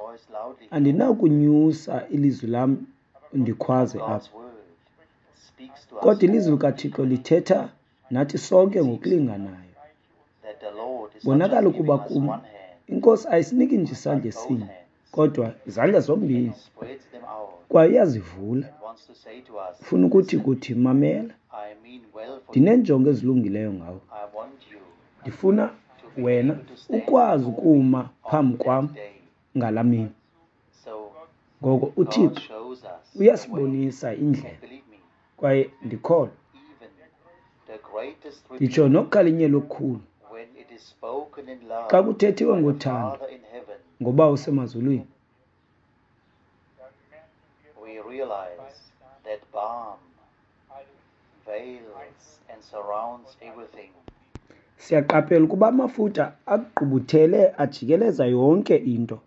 andinakunyusa ilizwi lam ndikhwaze apha. Kodwa ilizwi likaThixo lithetha nathi sonke ngokulinganayo. Bonakala ukuba kum iNkosi ayisiniki nje isandla esinye, kodwa izandla zombini, kwaye iyazivula. Ufuna ukuthi kuthi, mamela, ndineenjongo ezilungileyo ngawe. Ndifuna wena ukwazi ukuma phambi kwam ngalaa mini. Ngoko uThixo uyasibonisa indlela, kwaye ndikholwa nditsho nokukhalinyelwa okukhulu xa kuthethiwe ngothando ngoBawo osemazulwini. Siyaqaphela ukuba amafutha agqubuthele ajikeleza yonke into.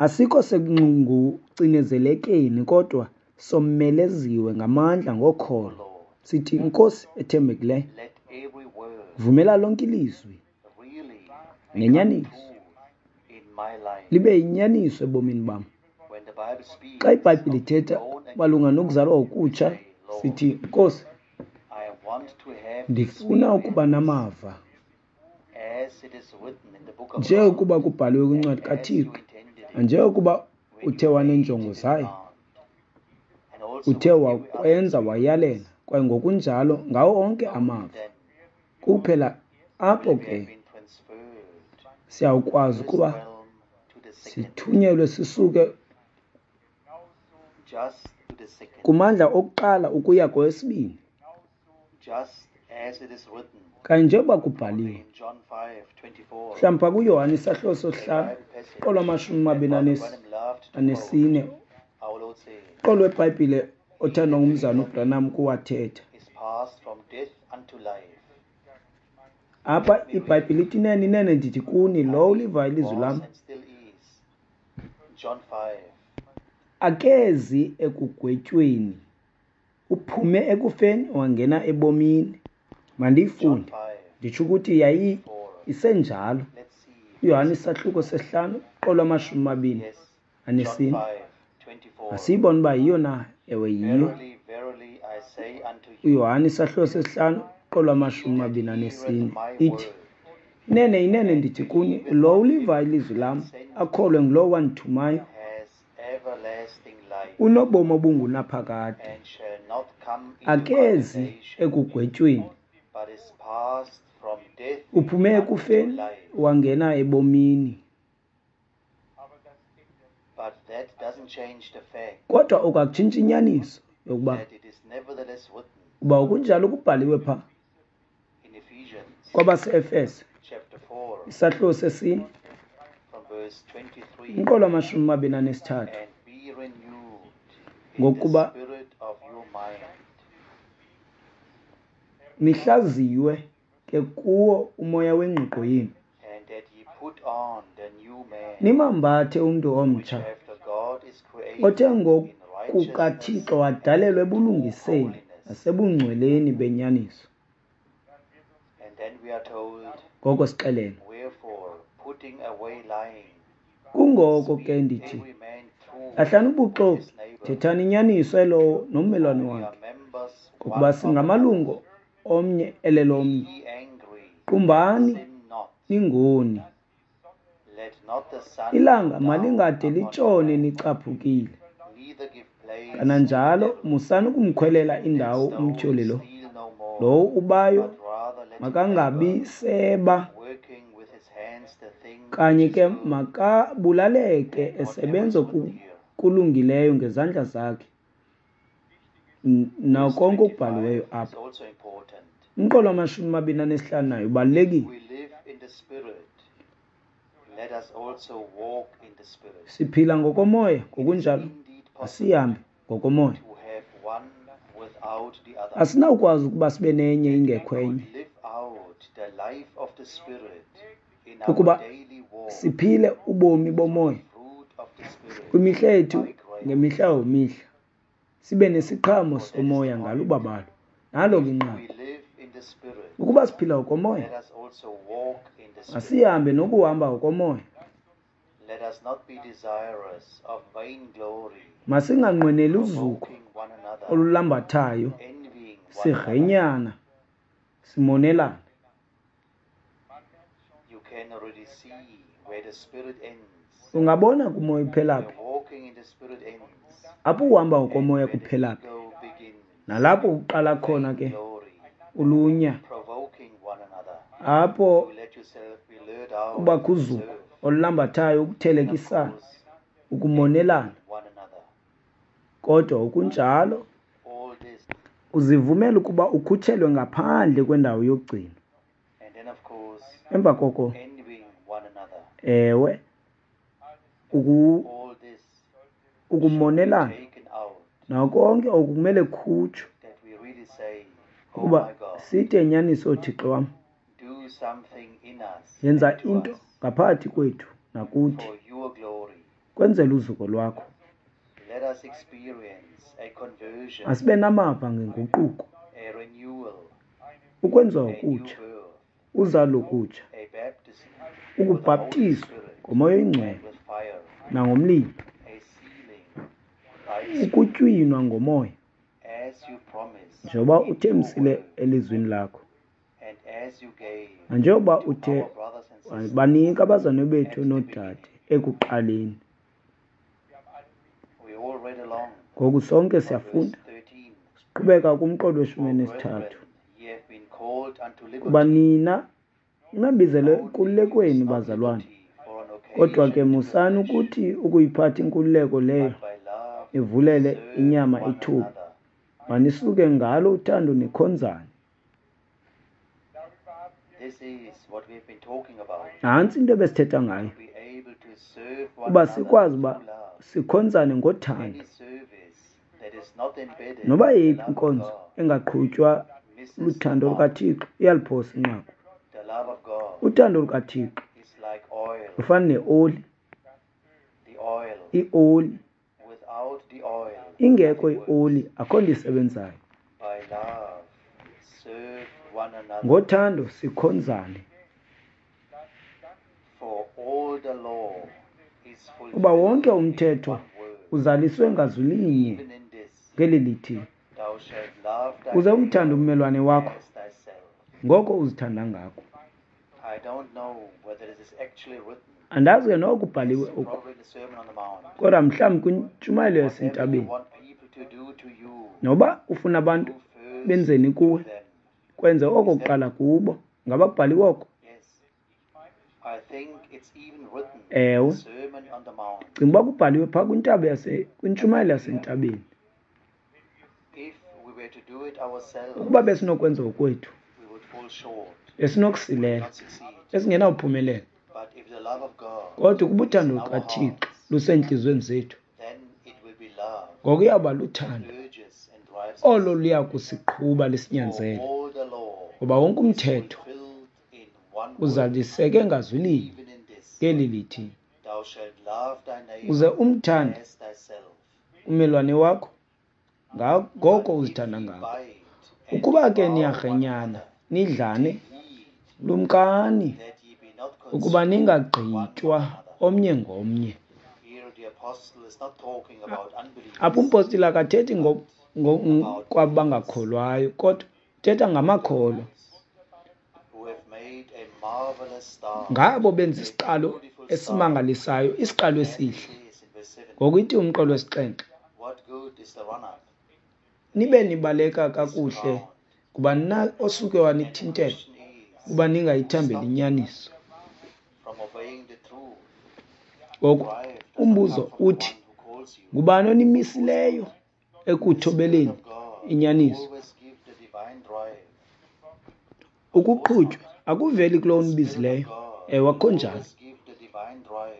Asikho sekucinezelekeni, kodwa someleziwe ngamandla ngokholo. Sithi, Nkosi ethembekileyo, vumela lonke ilizwi nenyaniso libe yinyaniso ebomini bam. Xa iBhayibhile ithetha malunga nokuzalwa okutsha, sithi, Nkosi, ndifuna ukuba namava njengokuba kubhaliwe kwincwadi kaThixo, njengokuba uthe waneenjongo zayo, uthe wakwenza wayalela, kwaye ngokunjalo ngawo onke amava. Kuphela apho ke siyawukwazi ukuba sithunyelwe sisuke kumandla okuqala ukuya kwesibini. Kanye njengoba kubhaliwe mhlawumbi phaa kuYohane isahluko sosihlanu qolo amashumi amabini anesine, qolo weBhayibhile othandwa ngumzana uBranham kuwathetha. Apha iBhayibhile ithi, inene inene ndithi kuni, lowo ulivayo ilizwi lam akezi ekugwetyweni, uphume ekufeni wangena ebomini. Mandiyifunde, nditsho ukuthi yayi isenjalo. uYohane isahluko sesihlanu qolo amashumi amabini anesine. Asiyibone uba yiyo na? Ewe, yiyo. uYohane isahluko sesihlanu qolo amashumi amabini anesine ithi, Inene, inene ndithi kuni, lo uliva ilizwi lam, akholwe ngulowo wandithumayo, unobomi obungunaphakade, akezi ekugwetyweni, uphume ekufeni wangena ebomini. Kodwa oku akutshintshi inyaniso yokuba uba okunjalo kubhaliwe pha kwabase-Efese isahluko sesine umqolo wamashumi amabini anesithathu, ngokuba nihlaziywe ke kuwo umoya wengqiqo yenu, nimambathe umntu omtsha othe ngokukaThixo wadalelwa ebulungiseni nasebungcweleni benyaniso. Ngoko sixelele, kungoko ke ndithi, lahlani ubuxoki, thethani inyaniso elowo nommelwane wakhe, ngokuba singamalungu omnye elelomnye. Qumbani, ningoni. Ilanga malingade litshone nicaphukile. Kananjalo musani ukumkhwelela indawo umtyholi lo. Lowo ubayo makangabi seba, kanye ke makabulaleke esebenza kulungileyo ngezandla zakhe, nakonke okubhaliweyo apha. Umqolo wamashumi amabini anesihlanu nayo ubalulekile. Siphila ngokomoya, ngokunjalo asihambe ngokomoya. Asinawukwazi ukuba sibe nenye ingekho enye. Ukuba siphile ubomi bomoya kwimihla yethu ngemihla yomihla, sibe nesiqhamo somoya ngalubabalo. Nalo ke inqaku. Ukuba siphila ngokomoya, masihambe nokuhamba ngokomoya. Masinganqweneli uzuko olulambathayo, sigrenyana, simonelana. Ungabona kumoya uphelaphi, apho uhamba ngokomoya kuphelaphi, nalapho uqala khona ke ulunya, apho kubakho uzuko olulambathayo, ukuthelekisana, ukumonelana. Kodwa okunjalo uzivumela ukuba ukhutshelwe ngaphandle kwendawo yokugcinwa. Emva koko, ewe, ukumonelana nakonke oku kumele kukhutshwe, ukuba sithi enyaniso, Thixo wam, yenza into ngaphakathi kwethu nakuthi, kwenzela uzuko lwakho. Asibe namava ngenguquko, ukwenziwa okutsha, uzalo okutsha, ukubhaptizwa ngomoya oyingcwele nangomlilo, ukutywinwa ngomoya, njengoba uthembisile elizwini lakho, nanjengoba uthe banika abazalwane bethu noodade ekuqaleni. Ngoku sonke siyafunda, siqhubeka kumqolo weshumi elinesithathu. Kuba nina nabizelwe enkululekweni, bazalwane, kodwa ke musani ukuthi ukuyiphatha inkululeko leyo nivulele inyama ithuba, manisuke ngalo uthando nikhonzane. Nantsi into ebesithetha ngayo, uba sikwazi uba sikhonzane ngothando. Noba yeyiphi inkonzo engaqhutywa luthando lukaThixo iyaliphosa inqaku. Uthando lukaThixo lufana neoli, ioli. Ingekho ioli akho nto isebenzayo. Ngothando sikhonzane, kuba wonke umthetho uzaliswe ngazwi linye ngeli lithi, uze umthande ummelwane wakho ngoko uzithanda ngako. Andazi ke noko kubhaliwe oku, kodwa mhlawumbi kwintshumayelo yasentabeni. Noba ufuna abantu benzeni kuwe, kwenze oko kuqala kubo. Ngaba kubhaliwe oko? Ewe, ndicinga uba kubhaliwe phaa kwintaba yase kwintshumayelo yasentabeni. Ukuba besinokwenza okwethu, besinokusilela, besingenawuphumelela. Kodwa ukuba uthando lukaThixo lusentliziyweni zethu, ngoku iyawuba luthando olo luya kusiqhuba lisinyanzele, ngoba wonke umthetho uzaliseke ngazwi linye, ngeli lithi, uze umthande ummelwane wakho ngoko uzithanda ngako. Ukuba ke niyarhenyana nidlane, lumkani ukuba ningagqitywa omnye ngomnye. Apha umpostile akathethi kwabangakholwayo, kodwa uthetha ngamakholwa, ngabo benza isiqalo esimangalisayo, isiqalo esihle. Ngoku ithi umqolo wesixhenxe, nibe nibaleka kakuhle, ngubani na osuke wanithintela ukuba ningayithambeli inyaniso? Ngoku umbuzo uthi, ngubani onimisileyo ekuthobeleni inyaniso? Ukuqhutywa akuveli kulowo unibizileyo. Ewe, akukho njalo.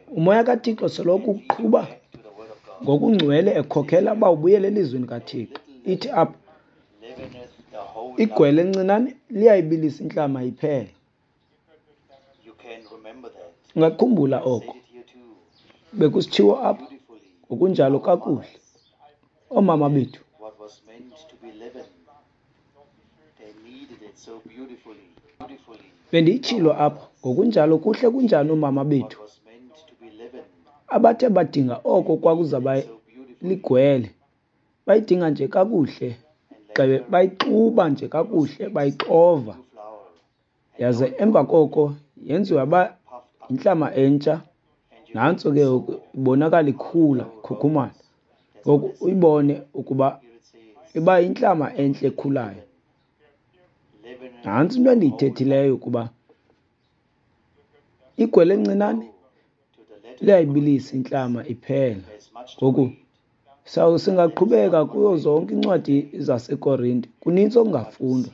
Umoya kaThixo soloko ukuqhuba ngokungcwele, ekhokela uba ubuyele elizwini kaThixo. Ithi apha, igwele encinane liyayibilisa intlama iphela. Ungakhumbula oko bekusitshiwo apha ngokunjalo kakuhle. Oomama bethu bendiyitshilo apha ngokunjalo kuhle kunjani oomama bethu abathe badinga oko kwakuzaba ligwele, bayidinga nje kakuhle, gxebe bayixuba nje kakuhle, bayixova, yaze emva koko yenziwa ba intlama entsha. Nantso ke ibonakala ikhula, ikhukhumala. Ngoku uyibone ukuba iba yintlama entle ekhulayo. Nantso into endiyithethileyo, ukuba igwele encinane liyayibilisa intlama iphela. Ngoku singaqhubeka kuyo zonke iincwadi zaseKorinte, kunintsi okungafundwa,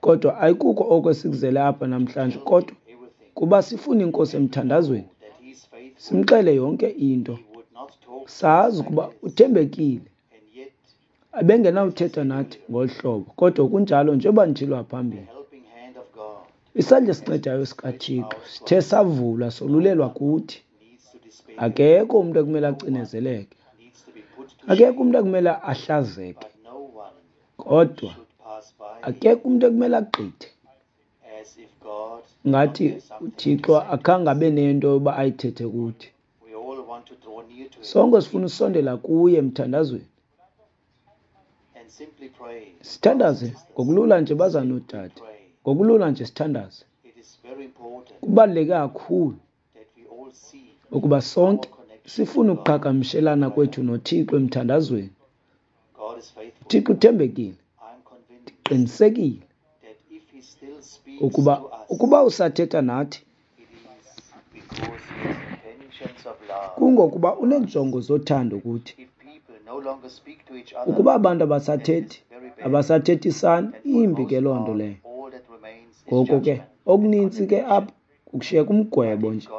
kodwa ayikuko oko esikuzele apha namhlanje, kodwa kuba sifuna iNkosi emthandazweni, simxele yonke into, sazi ukuba uthembekile. Ebengenawuthetha nathi ngolu hlobo, kodwa kunjalo njengoba nditshilo phambili. Isandla esincedayo sikaThixo sithe savulwa solulelwa kuthi. Akekho umntu ekumele acinezeleke, akekho umntu ekumele ahlazeke, kodwa akekho umntu ekumele agqithe ngathi uThixo akhange abe nento yoba ayithethe kuthi. Sonke sifuna usondela kuye emthandazweni, sithandaze ngokulula nje, bazalwane noodade, ngokulula nje sithandaze. Kubaluleke kakhulu ukuba sonke sifune ukuqhagamshelana kwethu noThixo emthandazweni. uThixo uthembekile. Ndiqinisekile ukuba ukuba usathetha nathi, kungokuba uneenjongo zothando kuthi. Ukuba abantu abasathethi, abasathethisani, imbi ke loo nto leyo. Ngoko ke okunintsi ke apha kukushiyeka umgwebo nje.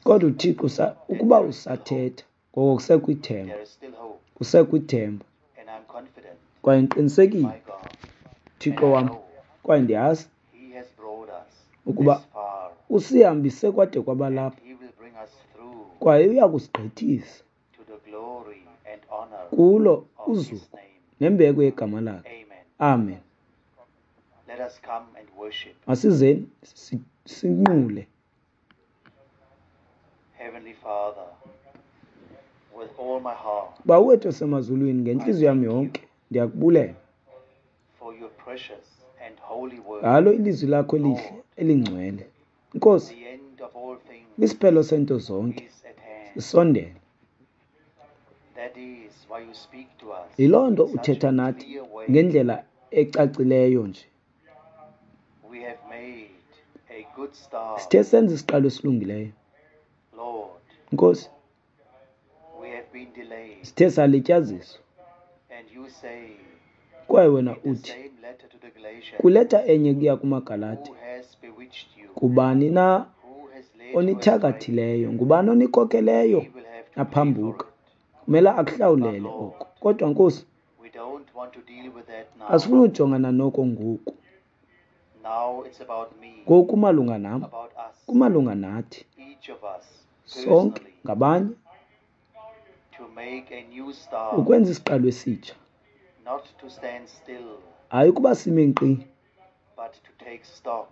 Kodwa uThixo ukuba usathetha, ngoko kusekho ithemba, kusekho ithemba. Kwaye ndiqinisekile, Thixo wam, kwaye ndiyazi ukuba usihambise kwade kwaba lapha, kwaye uya kusigqithisa kulo uzuko nembeko yegama lakhe. Amen. Masizeni sinqule. Bawo wethu osemazulwini, ngentliziyo yam yonke ndiyakubulela and holy word. Ngalo ilizwi lakho elihle elingcwele. Nkosi, The end of all things isiphelo sento zonke is at hand. sisondele. That is why you speak to us Yiloo nto in such uthetha a nathi clear way. ngendlela ecacileyo nje. We have made a good start. Sithe senza isiqalo esilungileyo. Lord, Nkosi, we have been delayed. sithe salityaziswa. And you say Kwaye wena in the uthi same letter to the Galatians, kwileta enye kuya kumaGalati, who has bewitched you? kubani na Who has led you astray? onithakathileyo? Ngubani onikhokheleyo He will have to pay for aphambuka? it. Kumele akuhlawulele oko. Kodwa Nkosi, We don't want to deal with that now. asifuni ujongana noko ngoku. Now it's about me, Ngoku kumalunga nam, about us, kumalunga nathi each of us sonke personally, ngabanye to make a new start, ukwenza isiqalo esitsha. not to stand still, Hayi ukuba sime nkqi, but to take stock,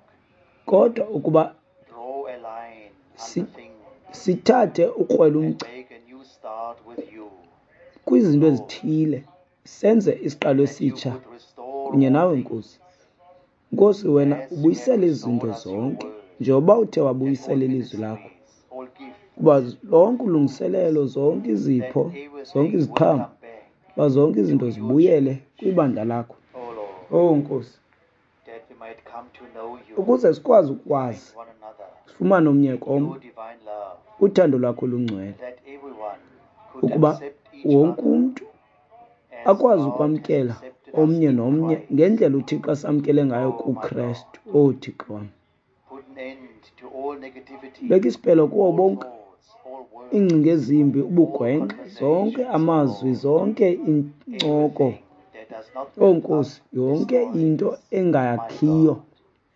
kodwa ukuba draw a line Si- under things, sithathe ukrwela and umgca make a new start with you. kwizinto ezithile, senze isiqalo That you esitsha would restore kunye all nawe things Nkosi. Nkosi, wena as you have ubuyisele izinto restored us your zonke word, njengoba uthe and all wabuyisela ilizwi lakho, ministries, all gifts, kuba lonke ulungiselelo, zonke that izipho, zonke everything will iziqhamo, come back uba zonke to izinto your zibuyele church. kwibandla lakho. O Lord, Owu Nkosi, that we might come to know you ukuze sikwazi and ukwazi one another sifumane omnye in komnye your divine love, uthando lwakho lungcwele, that everyone could ukuba accept each wonke other umntu as akwazi God has ukwamkela accepted us omnye in nomnye Christ. ngendlela uThixo asamkele ngayo Oh my God, kuKrestu. Owu Thixo wam, put an end to all negativity, beka isiphelo kuwo all bonke thoughts, all words, iingcinga ezimbi, all ubugwenxa, zonke conversations, amazwi, Lord, zonke iincoko. everything that does not Owu build up Nkosi, yonke into destroys. My engayakhiyo, God,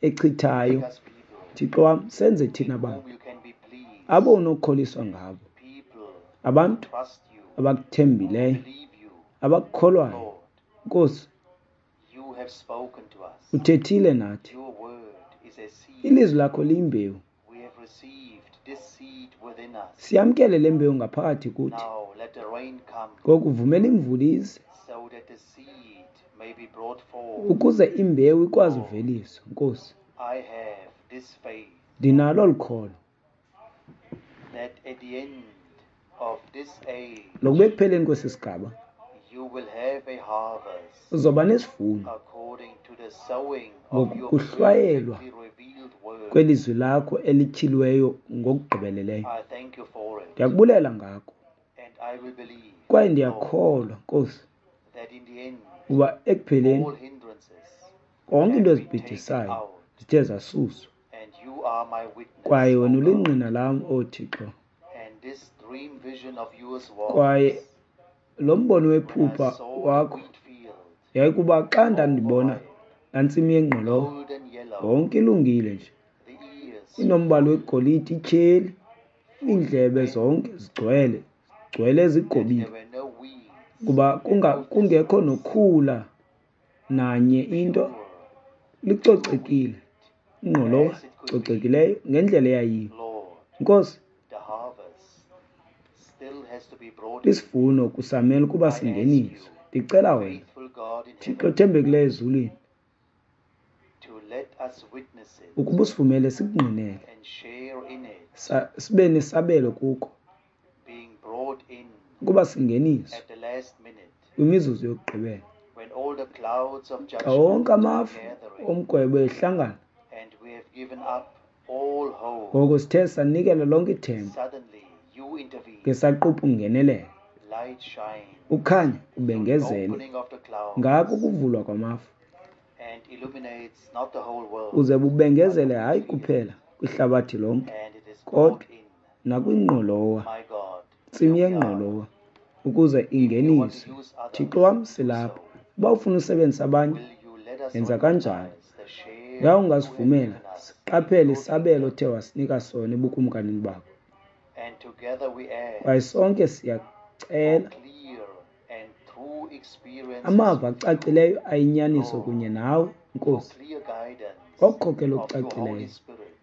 echithayo. make us people Thixo wam, senze in thina bantu whom you can be pleased, abo unokukholiswa ngabo, people who abantu trust you, who abakuthembileyo, believe you. abakukholwayo. Lord, Nkosi, you have spoken to us. uthethile nathi. Your word is a seed. Ilizwi lakho liyimbewu. We have received this seed within us. Siyamkele le mbewu ngaphakathi kuthi. Now let the rain come Ngoku vumela imvula ize so that the seed may be brought forth. ukuze imbewu ikwazi Lord, uveliswa. Nkosi, I have this faith ndinalo olu kholo that at the end of this age lokuba ekupheleni kwesi sigaba you will have a harvest uzoba nesivuno according to the sowing of your ngokuhlwayelwa perfectly revealed word. kwelizwi lakho elityhiliweyo ngokugqibeleleyo. I thank you for it, Ndiyakubulela ngako and I will believe, kwaye Lord, ndiyakholwa Nkosi that in the end uba ekupheleni all hindrances konke into have been taken ezibhidisayo out, zithe zasuswa, and you are my witness, kwaye O wena God. ulingqina lam, o Thixo. And this dream vision of yours Kwaye was lo mbono when I wephupha saw the wakho wheat field yayikuba xa ndandibona overripe, laa ntsimi yengqolowa golden yellow, yonke ilungile nje, the ears inombala full, wegolide, ityheli, fully iindlebe bent, zonke zigcwele zigcwele that zigobile, there were no weeds kuba and kunga no kungekho thistles, nokhula nanye into, pure, pure licocekile wheat ingqolowa as it could be. cocekileyo ngendlela eyayiyo. Lord, Nkosi, the harvest still has to be brought in. isivuno kusamele ukuba I ask singeniswe. you, Ndicela wena, faithful God in Thixo heaven, othembekileyo ezulwini, to let us witness it ukuba usivumele sikungqinele, and share in it, sa- sibe nesabelo kuko, being brought in ukuba singeniswe at the last minute kwimizuzu yokugqibela when all the clouds of xa wonke judgment are amafu gathering omgwebo ehlangana. and we have given up all hope. Ngoko sithe sanikela lonke ithemba, Suddenly you intervene. ngesaquphe ungenelela, Light shines ukhanya through the ubengezele opening of the ngako clouds ukuvulwa kwamafu, and illuminates not the whole world uze but bubengezele the hayi wheat field. kuphela kwihlabathi lonke, And it is brought kodwa in. nakwingqolowa, My God, ntsimi here we are. yengqolowa, ukuze If you want to ingeniswe. use Thixo others, wam, do silapha. so. Uba ufuna usebenzisa abanye, Will you let us yenza kanjalo. recognize the share Yaye you have ungasivumela given us in siqaphele your isabelo kingdom? othe wasinika sona ebukumkanini bakho. And together we Kwaye ask sonke for siyacela clear and true experiences amava with you, acacileyo ayinyaniso Lord, kunye nawe, for Nkosi, clear guidance ngokukhokela of your Holy okucacileyo Spirit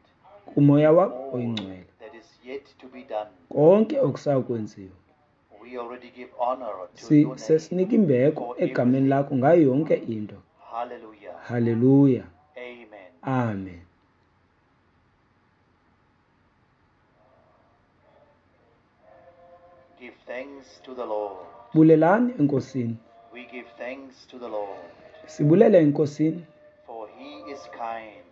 kumoya in wakho all oyingcwele. that is yet to be done. Konke okusakwenziwa We already give honor to si your name sesinika imbeko for egameni everything. lakho ngayo yonke into. Hallelujah. Haleluya. Amen. Amen. Give thanks to the Lord. Bulelani enkosini. We give thanks to the Lord, Sibulele enkosini for he is kind,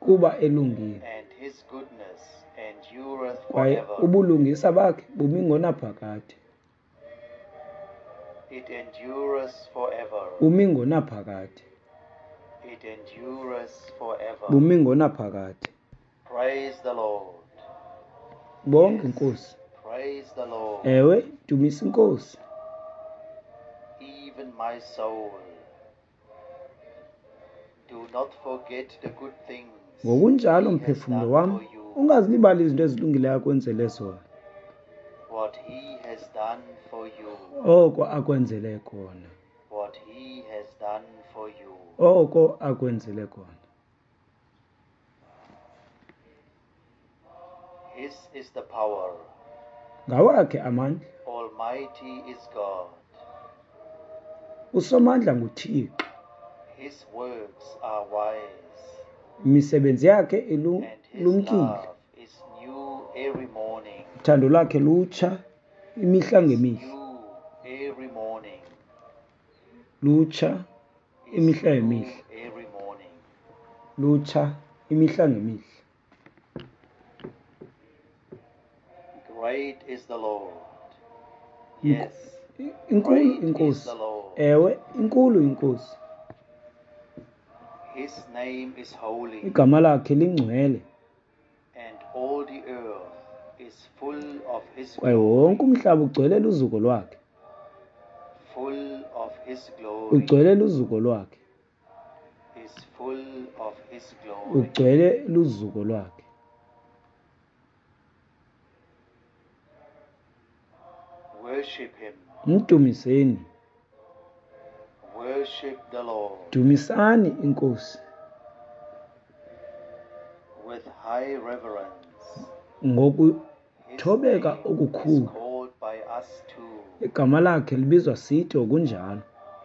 kuba elungile, and his goodness endureth kwaye forever. ubulungisa bakhe bumi ngonaphakade. It endureth forever. Bumi ngonaphakade. It endureth forever. Bumi ngonaphakade. Praise the Lord. Bonke inkosi. Praise the Lord. Ewe, dumisa inkosi. Even my soul. Do not forget the good things Ngokunjalo he has mphefumlo done wam, for you. ungazilibali izinto ezilungileyo akwenzele zona. What he has done for you. Oko akwenzele kona. What he has done for you. Oko akwenzele kona. His is the power. Ngawakhe amandla. Almighty is God. Usomandla nguThixo. His works are wise. Imisebenzi yakhe And his ilumkile. love is new every morning. Uthando lwakhe lutsha imihla Is ngemihla. new every morning. Lutsha Is imihla new ngemihla. every morning. Lutsha imihla ngemihla. Great is the Lord. Ink- Yes, Inkulu great is inkosi. the Lord. Ewe, inkulu inkosi. His name is holy, Igama lakhe lingcwele and all the earth is full of his kwaye glory. wonke umhlaba ugcwele luzuko lwakhe. Full of his glory. Ugcwele luzuko lwakhe. Is full of his glory. Ugcwele luzuko lwakhe. Worship him. Mdumiseni. Worship the Lord Dumisani inkosi with high reverence. His ngokuthobeka name is okukhulu. called by us too. Igama lakhe libizwa sithi ngokunjalo.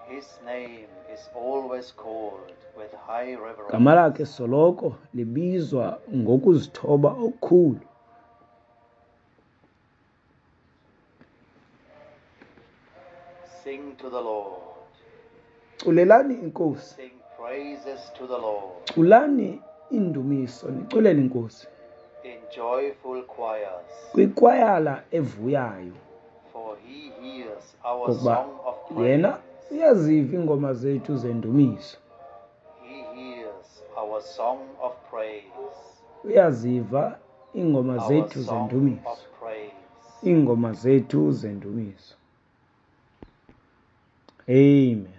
His name is always called with high Igama reverence. lakhe soloko libizwa ngokuzithoba okukhulu. Sing to the Lord. Culelani inkosi. Sing praises to the Lord Culani indumiso niculele inkosi in joyful choirs, kwikwayala evuyayo, for he hears our ngokuba song of yena praise. uyaziva iingoma zethu zendumiso. He hears our song of praise. Uyaziva iingoma Our zethu song of zendumiso. praise. Iingoma zethu zendumiso. Amen.